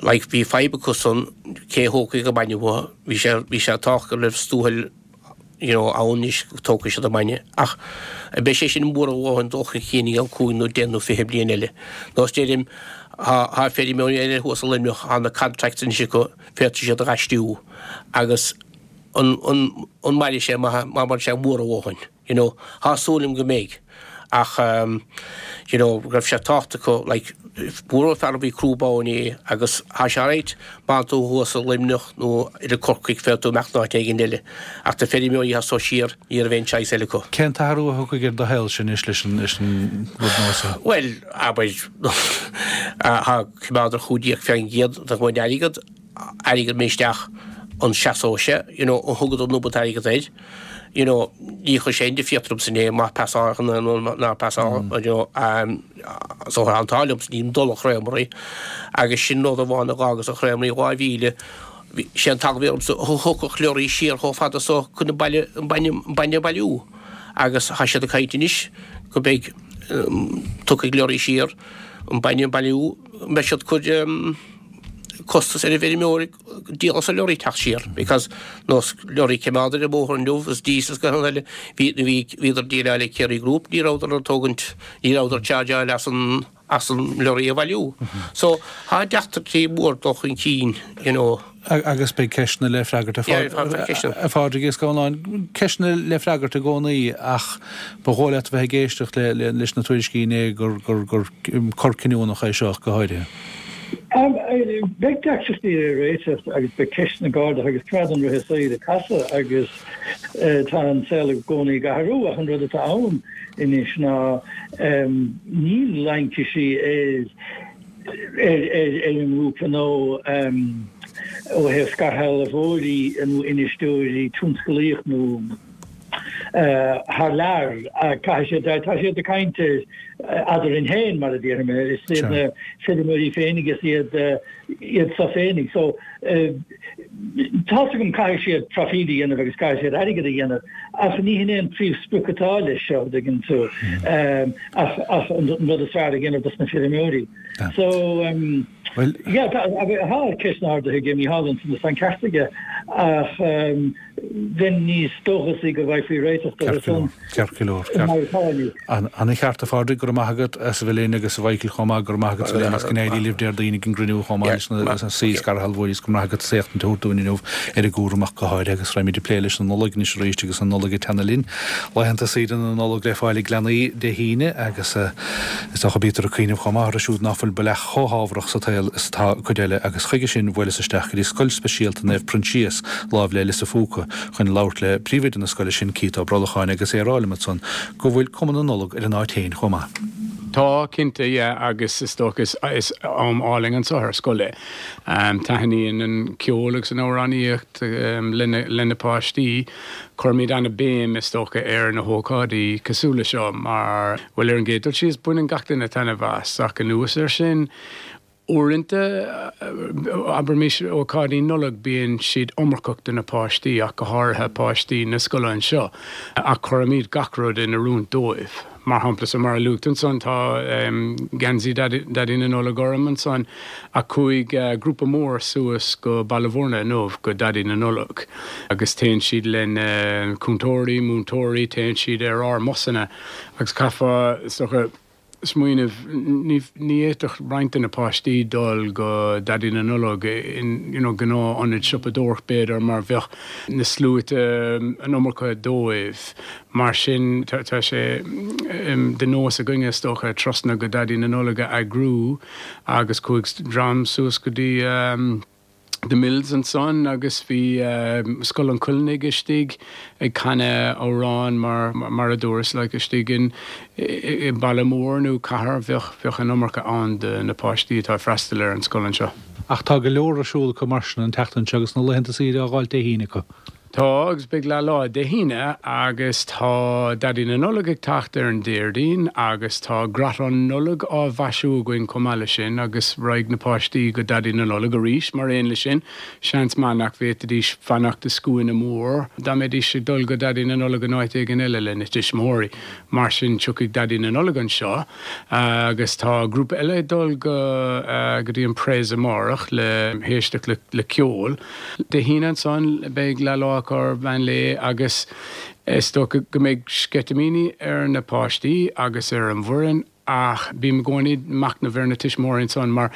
Speaker 4: like bhí fadhb acu san cé a thógfaidh an bainne uathu, bhí sé, bhí sé tábhachtach go raibh Lios Tuathail you know, ann anois go dtógfaidh siad an bainne. Ach an mbeidh sé sin mór a dhóthain dul chun cinn i gceann cúig nó deich nó fiche bliain eile? Nós deirim, tá, tá feirmeoirí eile thuas i Luimneach, tá na contracts anois acu, féadfaidh siad a dh'aistriú agus an, an, an mairfidh sé má, má mhairfidh sé mór a dhóthain, you know. Tá súil agam go mbeidh. Ach you know go raibh sé tábhachtach acu like bualadh fear a bhí crúb ann é agus thá sé alright má thánn tú thuas i Luimneach nó i Corcaigh féadfaidh tú imeacht in áit éigin eile ach na feirmeoirí atá so siar ní raibh aon choice eile acu.
Speaker 1: Cén t-athrú a thiocfaidh ar do shaolsa anois leis an leis an rud nua seo?
Speaker 4: Bhuel abair thá coimeád ar chúig déag faoin gcéad de mo airgead airgead mé isteach an seasóidh sé you know an thugadar an iomad airgead air you know ní chuir sé aon difríocht ormsa inné má passáil nó nár passáil you know so tá an t-ádh liomsa nílim dul a chraomraí agus sin rud amháin a dh'fhágas an chraomraí dhá mhíle sé an t-eagla a bhí ormsa thiocfadh leoraí siar chomh fada so chun an baile an bainne an bainne a bhailiú agus tá siad ag caint anois go mbeidh tiocfaidh leoraí siar an bainne a bhailiú mbeidh siad cur costas ar an bhfeirmeoir díol as an leoraí teacht siar because nós leoraí coimeád ar an mbóthar inniu is diesel is gach rud eile bhí bhí bhíodar déileáil le Kerry Group ní rabhadar ag tógaint ní rabhadar chargeáil as an as an leoraí a bhailiú so tá deacrachtaí mór dul chun cinn you know.
Speaker 1: Agus beidh ceisteanna le freagairt a Phádraig Uí Scanláin, ceisteanna le freagairt i gcónaí ach ba dhóigh leat a bheith ag éisteacht leis na tuairiscí inné gur gur gur cor cinniúnach é seo go háirithe.
Speaker 3: Beidh deacrachtaí le réiteach agus beidh ceisteanna ag ardú agus coimeádann rith an tsaoil ag casadh agus tá an saol i gcónaí ag athrú ach an rud atá ann anois ná níl laincisí ar ar an ngrúpa nó ó thaobh scairshealbhóirí nó infheisteoirí tionsclaíoch nó thar lear. Caithfidh siad, tá siad ag caint eadrainn féin, mar a déarfaidh mé, is iad na feirmeoirí féinig, is iad iad so féinig. So, tá's agam caithfidh siad proifíd a dhéanamh agus caithfidh siad airgead a dhéanamh, ach ní hin é an príomhsprioc atá leis seo, an dtuigeann tú, ach ach an rud is fearr a dhéanamh dos na feirmeoirí. So, yeah, tá ceisteanna ardaithe ag Mícheál ansan is tá an ceart aige, ach bheinn níos dóchasaí go bhfaighfí réiteach dó san
Speaker 1: Ceart go leor. Mar atá inniu. Ana-cheart a Phádraig, go raibh maith agat as a bheith linn agus a Mhichael chomh maith, go raibh maith agat as a bheith linn agus go n-éirí libh Déardaoin ag an gcruinniú chomh maith leis na scarshealbhóirí is go raibh maith agat as éachtaint a thabhairt dúinn inniu ar an gcúram ach go háirithe agus raghaimid ag plé leis an Nollaig anois arís agus an Nollaig ag teannadh linn. Laethanta saoire na Nollag le fáil ag leanaí Dé hAoine agus is dócha bítear ag cuimhneamh chomh maith orthu siúd ná fuil go leath chomh hámharach sa tsaol is atá cuid eile agus chuige sin bhuaileas isteach go dtí Scoil Speisialta Naomh Proinsias láimh le Lios a' Phúca chun labhairt le príomhoide na scoile sin, Keith Ó Brolacháin agus é ag rá liom ansan go bhfuil cuma na Nollag ar an áit féin chomh maith.
Speaker 5: Tá, cinnte, yeah, agus is dócha is is am álainn anseo ar scoil é. Taitníonn an ceol agus an amhránaíocht le na le na páistí. Cuirimid an-béim, is dócha, ar na hócáidí cosúil le seo mar, bhuel, ar an gcéad dul síos, baineann gach duine taitneamh as, ach anuas air sin, uaireanta, abraimis ócáidí Nollag, bíonn siad iomarcach do na páistí, ach go háirithe páistí na scoile anseo, ach cuirimid gach rud in oiriúint dóibh. Mar shampla, so mar a luaigh tú ansan, tá geansaí Daidí na Nollag orm ansan, ach chuaigh grúpa mór suas go Baile Mhúirne inniu go Daidí na Nollag agus téann siad lena cúntóirí, múinteoirí, téann siad ar ár mbusanna agus caithfeá, is dócha, smaoineamh, ní fhéadfadh roinnt de na páistí dul go Daidí na Nollag in you know gnáth ionad siopadóireacht b'fhéidir mar bheadh na sluaite an iomarca dóibh. Mar sin tá sé de nós againne is dócha turasanna go Daidí na Nollag a eagrú agus chuaigh dream suas go dtí The Mills ansan agus bhí Scoil an Choilligh istigh ag canadh amhrán mar mar a dúras like istigh in i baile mór nó cathair bheadh bheadh an iomarca ann de na páistí atá ag freastal ar an scoil anseo.
Speaker 1: Ach tá go leor ar siúl acu mar sin an tseachtain seo agus na laethanta saoire á dh'fháilt Dé hAoine acu.
Speaker 5: Tá agus beidh leath lá Dé hAoine agus tá Daidí na Nollag ag teacht ar an Déardaoin agus tá gratán Nollag á mhaisiú againn chomh maith leis sin agus raghaidh na páistí go Daidí na Nollag arís mar aon leis sin. Seans maith nach bhféadfaidís fanacht i scuaine mór dá mbeidís ag dul go Daidí na Nollag in áit éigin eile lena dtuismitheoirí. Mar sin tiocfaidh Daidí na Nollag anseo agus tá grúpa eile ag dul go go dtí an Prez amárach le héisteacht le le ceol. Dé hAoine ansan beidh leath lá acu ar mheán lae agus is dócha go mbeidh sceitimíní ar na páistí agus ar an bhfoireann ach bím i gcónaí ag machnamh ar na tuismitheoirí ansan mar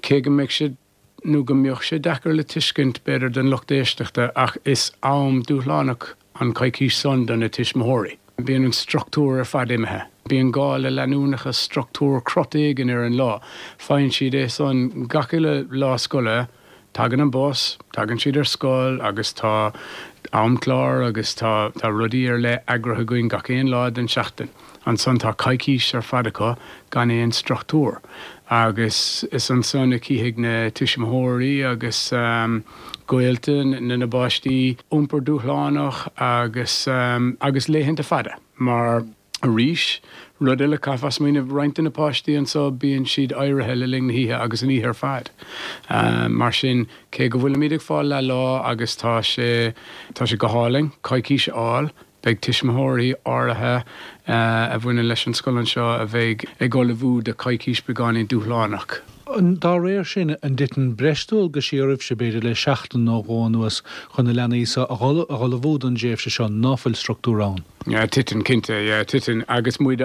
Speaker 5: cé go mbeidh sé nó go mbeadh sé deacair le tuiscint b'fhéidir don lucht éisteachta ach is am dúshlánach an coicís san do na tuismitheoirí. Bíonn an struchtúr ar fad imithe. Bíonn gá le leanúnachas, struchtúr, crot éigin ar an lá. Faigheann siad é san gach uile lá scoile. Tagann an bus, tagann siad ar scoil agus tá amchlár agus tá tá rudaí ar leith eagraithe againn gach aon lá den tseachtain. Ansan tá coicís ar fad acu gan aon struchtúr agus is ansan a chífidh na tuismitheoirí agus gaolta na na bpáistí iompar dúshlánach agus agus laethanta fada mar Arís, rud eile, caithfeá smaoineamh, roinnt de na páistí anseo, bíonn siad éirithe le linn na hoíche agus an oíche ar fad. Mar sin, cé go bhfuilimid ag fáil leath lá agus tá sé, tá sé go hálainn coicís a fháil, beidh tuismitheoirí áirithe a bhaineann leis an scoil anseo a bheidh ag ullmhú do choicís beagáinín dúshlánach.
Speaker 1: Dá réir sin, an dtiteann breis dualgaisí oraibhse, b'fhéidir, le seachtain nó dhó anuas chun na leanaí seo a dh'ullmhú don dtréimhse seo ná fuil struchtúr ann?
Speaker 5: Yeah, titeann, cinnte, yeah, titeann agus muid,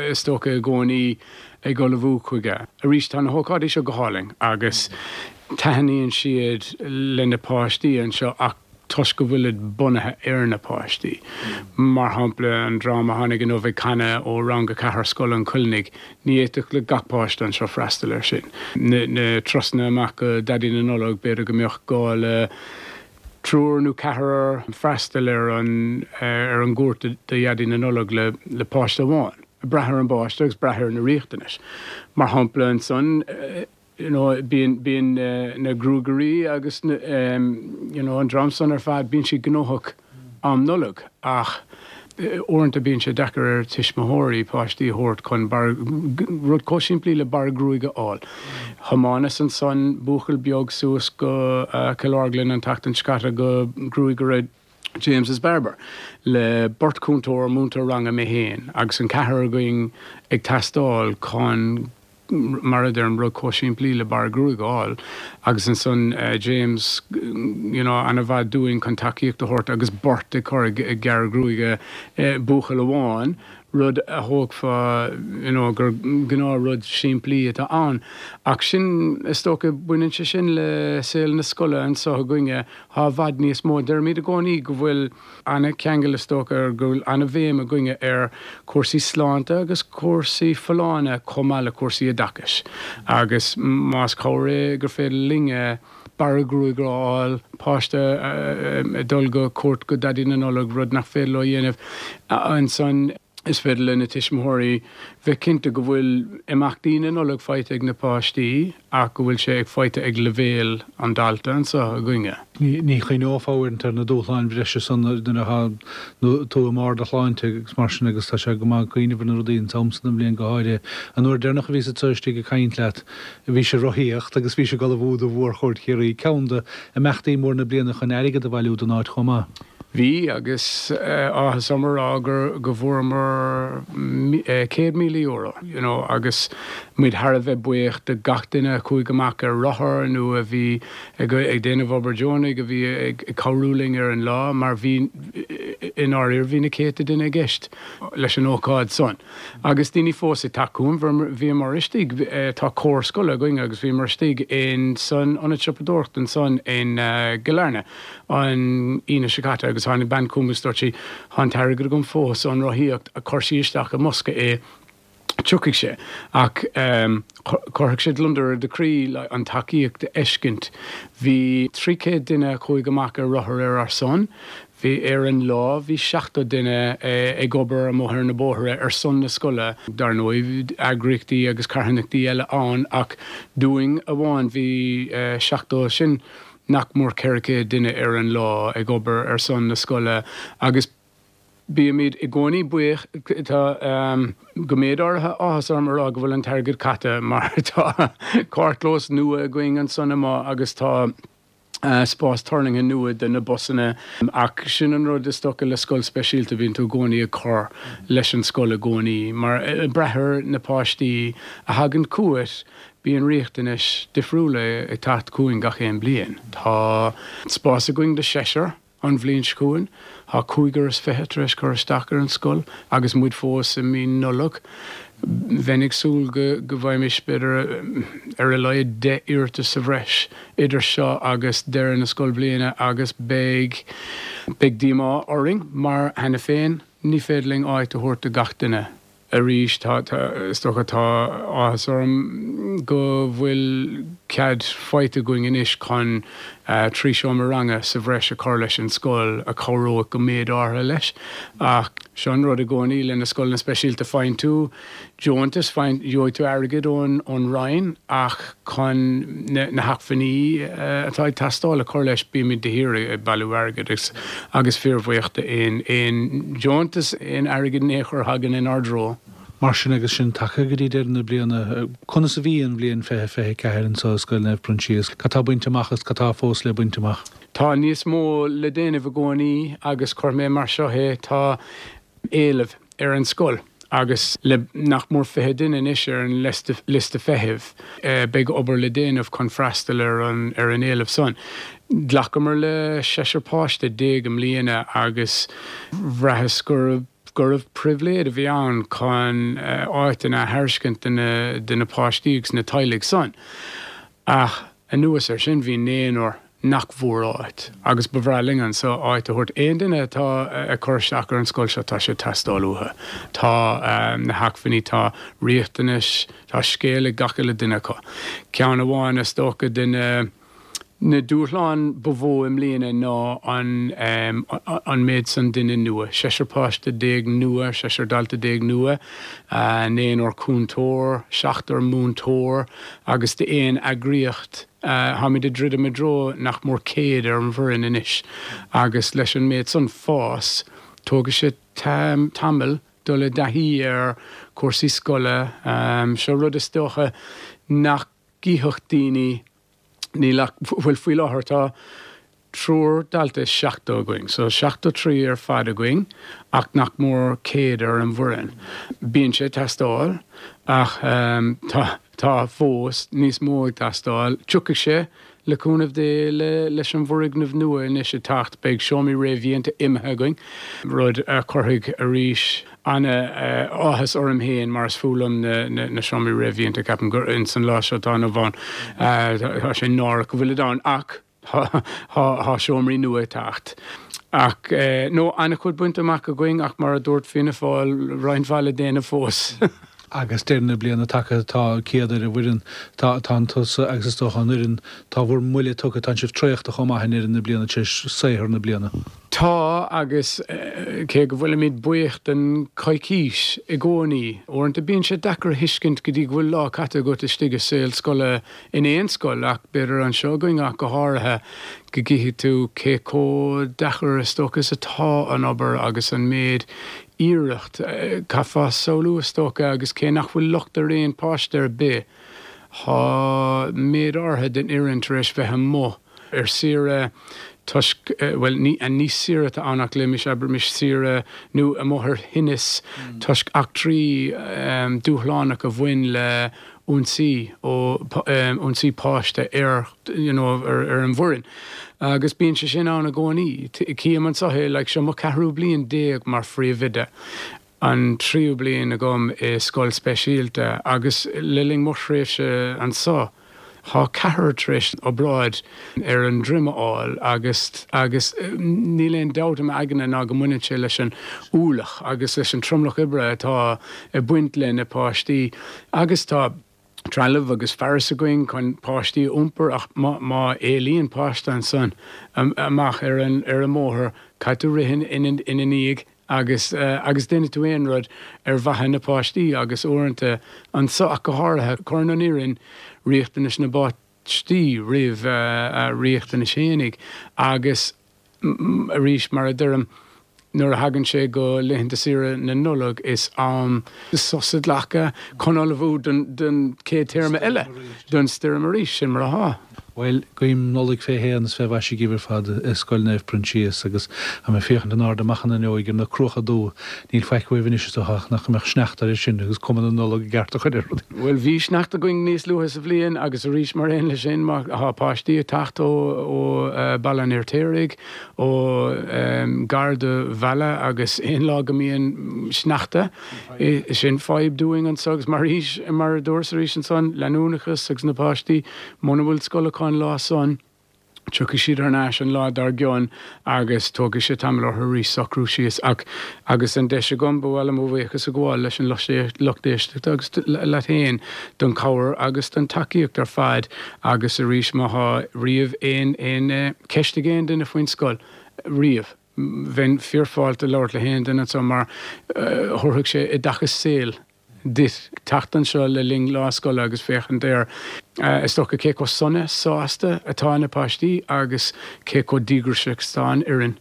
Speaker 5: is dócha, i gcónaí ag ullmhú chuige. Arís, tá na hócáidí seo go hálainn agus taitníonn siad le na páistí anseo ach toisc go bhfuilid bunaithe ar na páistí. Mar shampla, an dream a tháinig inniu ag canadh ó Rang a Ceathair Scoil an Choinnigh, ní fhéadfadh le gach páiste anseo freastal air sin. Na turasanna amach go Daidí na Nollag, b'fhéidir go mbeadh gá le triúr nó ceathrar freastal ar an ar an gcuairt do Dhaidí na Nollag le le páiste amháin. Brath ar an bpáiste agus brath ar na riachtanais. Mar shampla ansan, you know bíonn bíonn na gruagairí agus na you know an dream san ar fad bíonn siad gnóthach am Nollag ach uaireanta bíonn sé deacair ar tuismitheoirí páistí a thabhairt chun barr rud chomh simplí le barr gruaige a fháil. Thiomáineas ansan buachaill beag suas go Cill Orglan an tseachtain seo caite go gruagaire James's Barber le beirt chúntóir, múinteoir ranga, mé féin agus an ceathrar againn ag teastáil chun mar a deirim, rud chomh simplí le barr gruaige a fháil agus ansan James you know ana-mhaith dúinn chun tacaíocht a thabhairt agus beirt ag cur ag gearradh gruaige buachaill amháin, rud a thógfá you know gur gnáth rud simplí atá ann. Ach sin, is dócha, baineann sé sin le saol na scoile anseo againne, thá i bhfad níos mó. Deirimid i gcónaí go bhfuil ana-cheangal is dócha, go bhfuil ana-bhéim againne ar chúrsaí sláinte agus cúrsaí folláine chomh maith le cúrsaí oideachais agus más cabhair é gur féidir linne barra gruaige a fháil, páiste ag dul go cuairt go Daidí na Nollag, rud nach féidir leo a dhéanamh ansan. Is féidir le na tuismitheoirí bheith cinnte go bhfuil imeachtaí na Nollag faighte ag na páistí ach go bhfuil sé ag faighte ag leibhéal an dalta anseo againne.
Speaker 1: Ní chuimhneofá uaireanta ar na dúshláin bhreise san nuair atá tú i mbarr do shláinte agus mar sin agus tá sé go maith cuimhneamh ar na rudaí an t-am san den bhliain go háirithe. An uair deireanach a bhíos anseo istigh ag caint leat bhís ag rothaíocht agus bhís ag ullmhú do mhórchuairt Chiarraí, ceann de imeachtaí mór na bliana chun airgead a bhailiú don áit chomh maith.
Speaker 5: Bhí, agus áthas orm a rá gur, go bhfuaireamar céad míle euro, you know, agus muid thar a bheith buíoch de gach duine a chuaigh amach ar rothar nó a bhí ag ag déanamh obair deonaigh, a bhí ag cabhrú linn ar an lá, mar bhí, i ndáiríre, bhí na céadta duine i gceist leis an ócáid san. Agus daoine fós ag teacht chugam, bhíomar istigh, tá cór scoile againn agus bhíomar istigh in san ionad siopadóireachta ansan in gCill Airne, an Aoine seo caite agus tháinig bean chugam agus dúirt sí, Tá an t-airgead agam fós ón rothaíocht, chuir sí isteach i mbosca é Tiocfaidh sé, ach cuirfidh sé gliondar ar do chroí an tacaíocht a fheiscint. Bhí trí chéad duine a chuaigh amach ar rothar ar ár son. Bhí ar an lá, bhí seachtó duine ag obair amuigh ar na bóithre ar son na scoile. Dar ndóigh, bhí eagraíochtaí agus carthanachtaí eile ann ach dúinn amháin bhí seachtó, sin nach mór ceithre chéad duine ar an lá ag obair ar son na scoile agus bímid i gcónaí buíoch. Tá go méid áirithe áthas orm a rá go bhfuil an t-airgead caite mar tá carrchlós nua againn ansan amuigh agus tá spás tuirlingthe nua do na busanna. Ach sin an rud is dócha le scoil speisialta, bíonn tú i gcónaí ag cur leis an scoil i gcónaí mar ag brath ar na páistí a thagann chugat, bíonn riachtanais difriúla ag teacht chugainn gach aon bliain. Tá spás againn do seisear. An bhliain seo chugainn, tá cúigear is fiche tar éis cur isteach ar an scoil agus muid fós i mí Nollag. Bheinn ag súil go go bhfaighfimis b'fhéidir ar a laghad deich iarratas sa bhreis idir seo agus deireadh na scoilbhliana agus beidh beidh díomá orainn mar cheana féin ní féidir linn áit a thabhairt do gach duine. Arís, tá, is dócha, tá áthas orm go bhfuil cead faighte againn anois chun trí seomra ranga sa bhreis a chur leis an scoil a chabhróidh go méid áirithe leis. Ach seo an rud i gcónaí le na scoileanna speisialta, faigheann tú deontas, faigheann, gheobhaidh tú airgead ón, ón Roinn ach chun na, na hacmhainní atá ag teastáil a chur leis bímid de shíor ag bailiú airgid agus, agus fíorbhuíoch d'aon, aon deontas, aon airgead in aon chor a thagann inár dtreo.
Speaker 1: Mar sin, agus sinn tagtha go dtí deireadh na bliana, conas a bhí an bhliain fiche fiche ceathair anseo i Scoil Naomh Proinsias? Cad tá bainte amach agus cad tá fós le baint amach?
Speaker 5: Tá níos mó le déanamh i gcónaí agus cuirfidh mé mar seo é, tá éileamh ar an scoil agus le nach mór fiche duine anois ar an liosta feithimh, beidh obair le déanamh chun freastal ar an ar an éileamh san. Ghlacamar le seisear páiste déag i mbliana agus bhraitheas gurbh gurbh pribhléid a bhí ann chun áiteanna a thairiscint do na do na páistí agus na teaghlaigh san. Ach anuas air sin bhí naonúr nach bhfuair áit agus ba bhreá linn anso áit a thabhairt. Aon duine atá ag cur isteach ar an scoil seo tá sé ag teastáil uathu. Tá na hacmhainní, tá riachtanais, tá scéal ag gach uile duine acu. Ceann amháin is dócha de na na dúshláin ba mhó i mbliana ná an an méid san duine nua, seisear páiste déag nua, seisear dalta déag nua, naonúr cúntóir, seachtar múinteoir agus d'aon eagraíocht. Táimid ag druidim i dtreo nach mór céad ar an bhfoireann anois agus leis an méid san fás, tógfaidh sé tamall dul i dtaithí ar chúrsaí scoile. Seo rud is dócha nach gcífeadh daoine, níl ach, bhuel faoi láthair tá triúr dalta is seachtó againn, so seachtó trí ar fad againn ach nach mór céad ar an bhfoireann. Bíonn sé ag teastáil ach tá tá fós níos mó ag teastáil. Tiocfaidh sé, le cúnamh Dé, le leis an bhfoirgneamh nua anois ag teacht. Beidh seomraí réamhdhéanta imithe againn, rud a chuirfidh arís ana-áthas orm féin mar is fuath liom na seomraí réamhdhéanta, ceapaim gur ins an lá seo atá inniu ann tá sé náireach go bhfuilid ann ach Tá seomraí nua ag teacht. Ach, no, an-chuid bainte amach againn ach mar a dúirt Fianna Fáil, roinnt mhaith le déanamh fós.
Speaker 1: Agus deireadh na bliana tagtha, tá céad ar an bhfoireann, tá tá tusa agus is dócha an fhoireann, tá bhur mbuille tugtha, tá sibh traochta chomh maith i ndeireadh na bliana tar éis saothar na bliana.
Speaker 5: Tá, agus cé go bhfuilimid buíoch den choicís i gcónaí, uaireanta bíonn sé deacair a thuiscint go dtí go bhfuil lá caite agat istigh i saol scoile in aon scoil, ach b'fhéidir anseo againn ach go háirithe, go gcífidh tú cé chomh deacair is dócha is atá an obair agus an méid iarracht. Caithfeá samhlú is dócha, agus cé nach bhfuil locht ar aon pháiste ar bith, tá méid áirithe den fhoireann tar éis bheith amuigh ar saoire toisc, bhuel, ní, ní saoire atá ann ach léimis, abraimis saoire nó amuigh ar thinneas toisc eachtraí dúshlánacha a bhain le ionsaí ó, ionsaí páiste ar, you know, ar, ar an bhfoireann. Agus bíonn sé sin ann i gcónaí. Cím anseo é, like, seo mo cheathrú bliain déag mar phríomhoide, an tríú bliain agam i scoil speisialta agus le linn mo thréimhse anseo, Tá ceathrar tar éis obráid ar an droim a fháil agus agus níl aon dabht i m'aigne ná go mbaineann sé leis an ualach agus leis an tromlach oibre atá ag baint le na páistí agus tá trealamh agus fearas againn chun páistí a iompar ach má má éalaíonn páiste ansan amach ar an ar an mbóthar caithfidh tú rith ina ina ndiaidh agus agus déanfaidh tú aon rud ar mhaithe na páistí agus uaireanta anso ach go háirithe cuireann an fhoireann riachtanais na bpáistí roimh a riachtanais fhéinig agus arís mar a deirim nuair a thagann sé go laethanta saoire na Nollag is am sos a ghlacadh chun ullmhú don don chéad téarma eile don stoirm arís sin mar atá.
Speaker 1: Bhuel, guím Nollaig fé shéan is fé mhaise dhaoibh ar fad i Scoil Naomh Proinsias agus tá mé ag féachaint in airde amach an fhuinneoig ar na cruacha dubha. Níl faic uaibh anois is dócha ach nach mbeadh sneachta air sin agus cuma na Nollag i gceart a chur ar rudaí.
Speaker 5: Bhuel, bhí sneachta againn níos luaithe sa bhliain agus arís mar aon leis sin má tá páistí ag teacht ó ó Baile an Fheirtéaraigh, ó gar do Mhala agus aon lá go mbíonn sneachta, sin fadhb dúinn anso agus mar mar a dúras arís ansan, leanúnachas agus na páistí muna bhfuil scoil acu an lá san, tiocfaidh siad thar n-ais an lá dár gcionn agus tógfaidh sé tamall orthu arís socrú síos. Ach agus an deis agam, ba mhaith liom mo bhuíochas a ghabháil leis an lucht éisteachta agus leat féin don chabhair agus don tacaíocht ar fad agus arís má thá riamh aon aon ceist ag aon duine faoin scoil riamh, bheinn fíorfháilte labhairt le haon duine anseo mar thabharfadh sé oideachas saoil duit teacht anseo le linn lá scoile agus féachaint ar, is dócha, cé chomh sona, sásta atá na páistí agus cé chomh díograiseach is atá an fhoireann.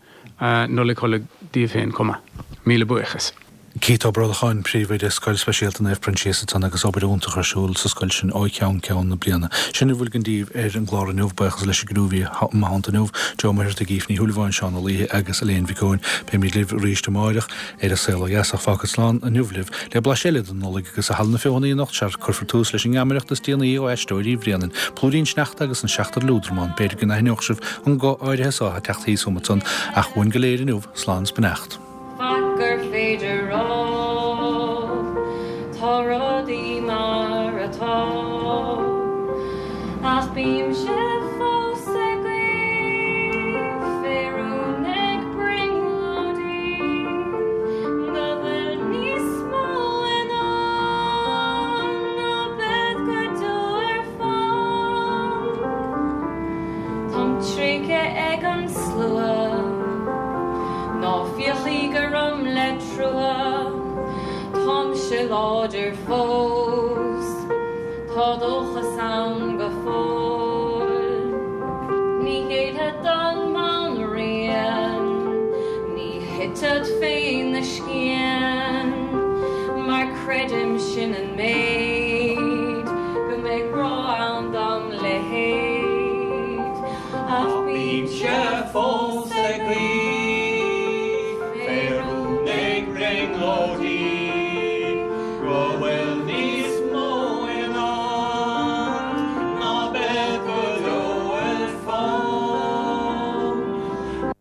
Speaker 5: Nollaig Shona daoibh féin chomh maith. Míle buíochas.
Speaker 1: Keith Ó Brolcháin, Príomhoide Scoil Speisialta Naomh Proinsias ansan agus obair iontach ar siúl sa scoil sin ó cheann ceann na bliana. Sin a bhfuil againn daoibh ar an gclár inniu. Buíochas leis an gcriú a bhí i mo theannta inniu, Joe Ó Muircheartaigh, Aoife Ní Shúilleabháin, Seán Ó Laoithe agus Elaine Mhic Eoin. Beimid libh arís amáireach ar An Saol Ó Dheas ach fágfad slán inniu libh le blaiseadh eile den Nollaig agus i Halla na Feothanaí anocht sea cuirfear tús leis an ngeamaireacht is déanaí ó Aisteoirí Bhréanainn, Plúirín Sneachta agus an Seachtar Liúdramán. B'fhéidir go n-aithneodh sibh an guth áirithe so ag teacht thíos uaim ansan ach uainn go léir inniu, slán is beannacht.
Speaker 2: Faic gur féidir rá, tá rudaí mar atá, ach bímse fós ag guí fé rún ag brionglóidí go bhfuil níos mó i ndán ná bead go deo ar fán. Táim tréigthe ag an slua, ná féachaigí orm le trua, táimse láidir fós, tá dóchas ann go fóill. Ní ghéillfead don mbanríon, ní thitfead féna scian, mar creidim sin an méid.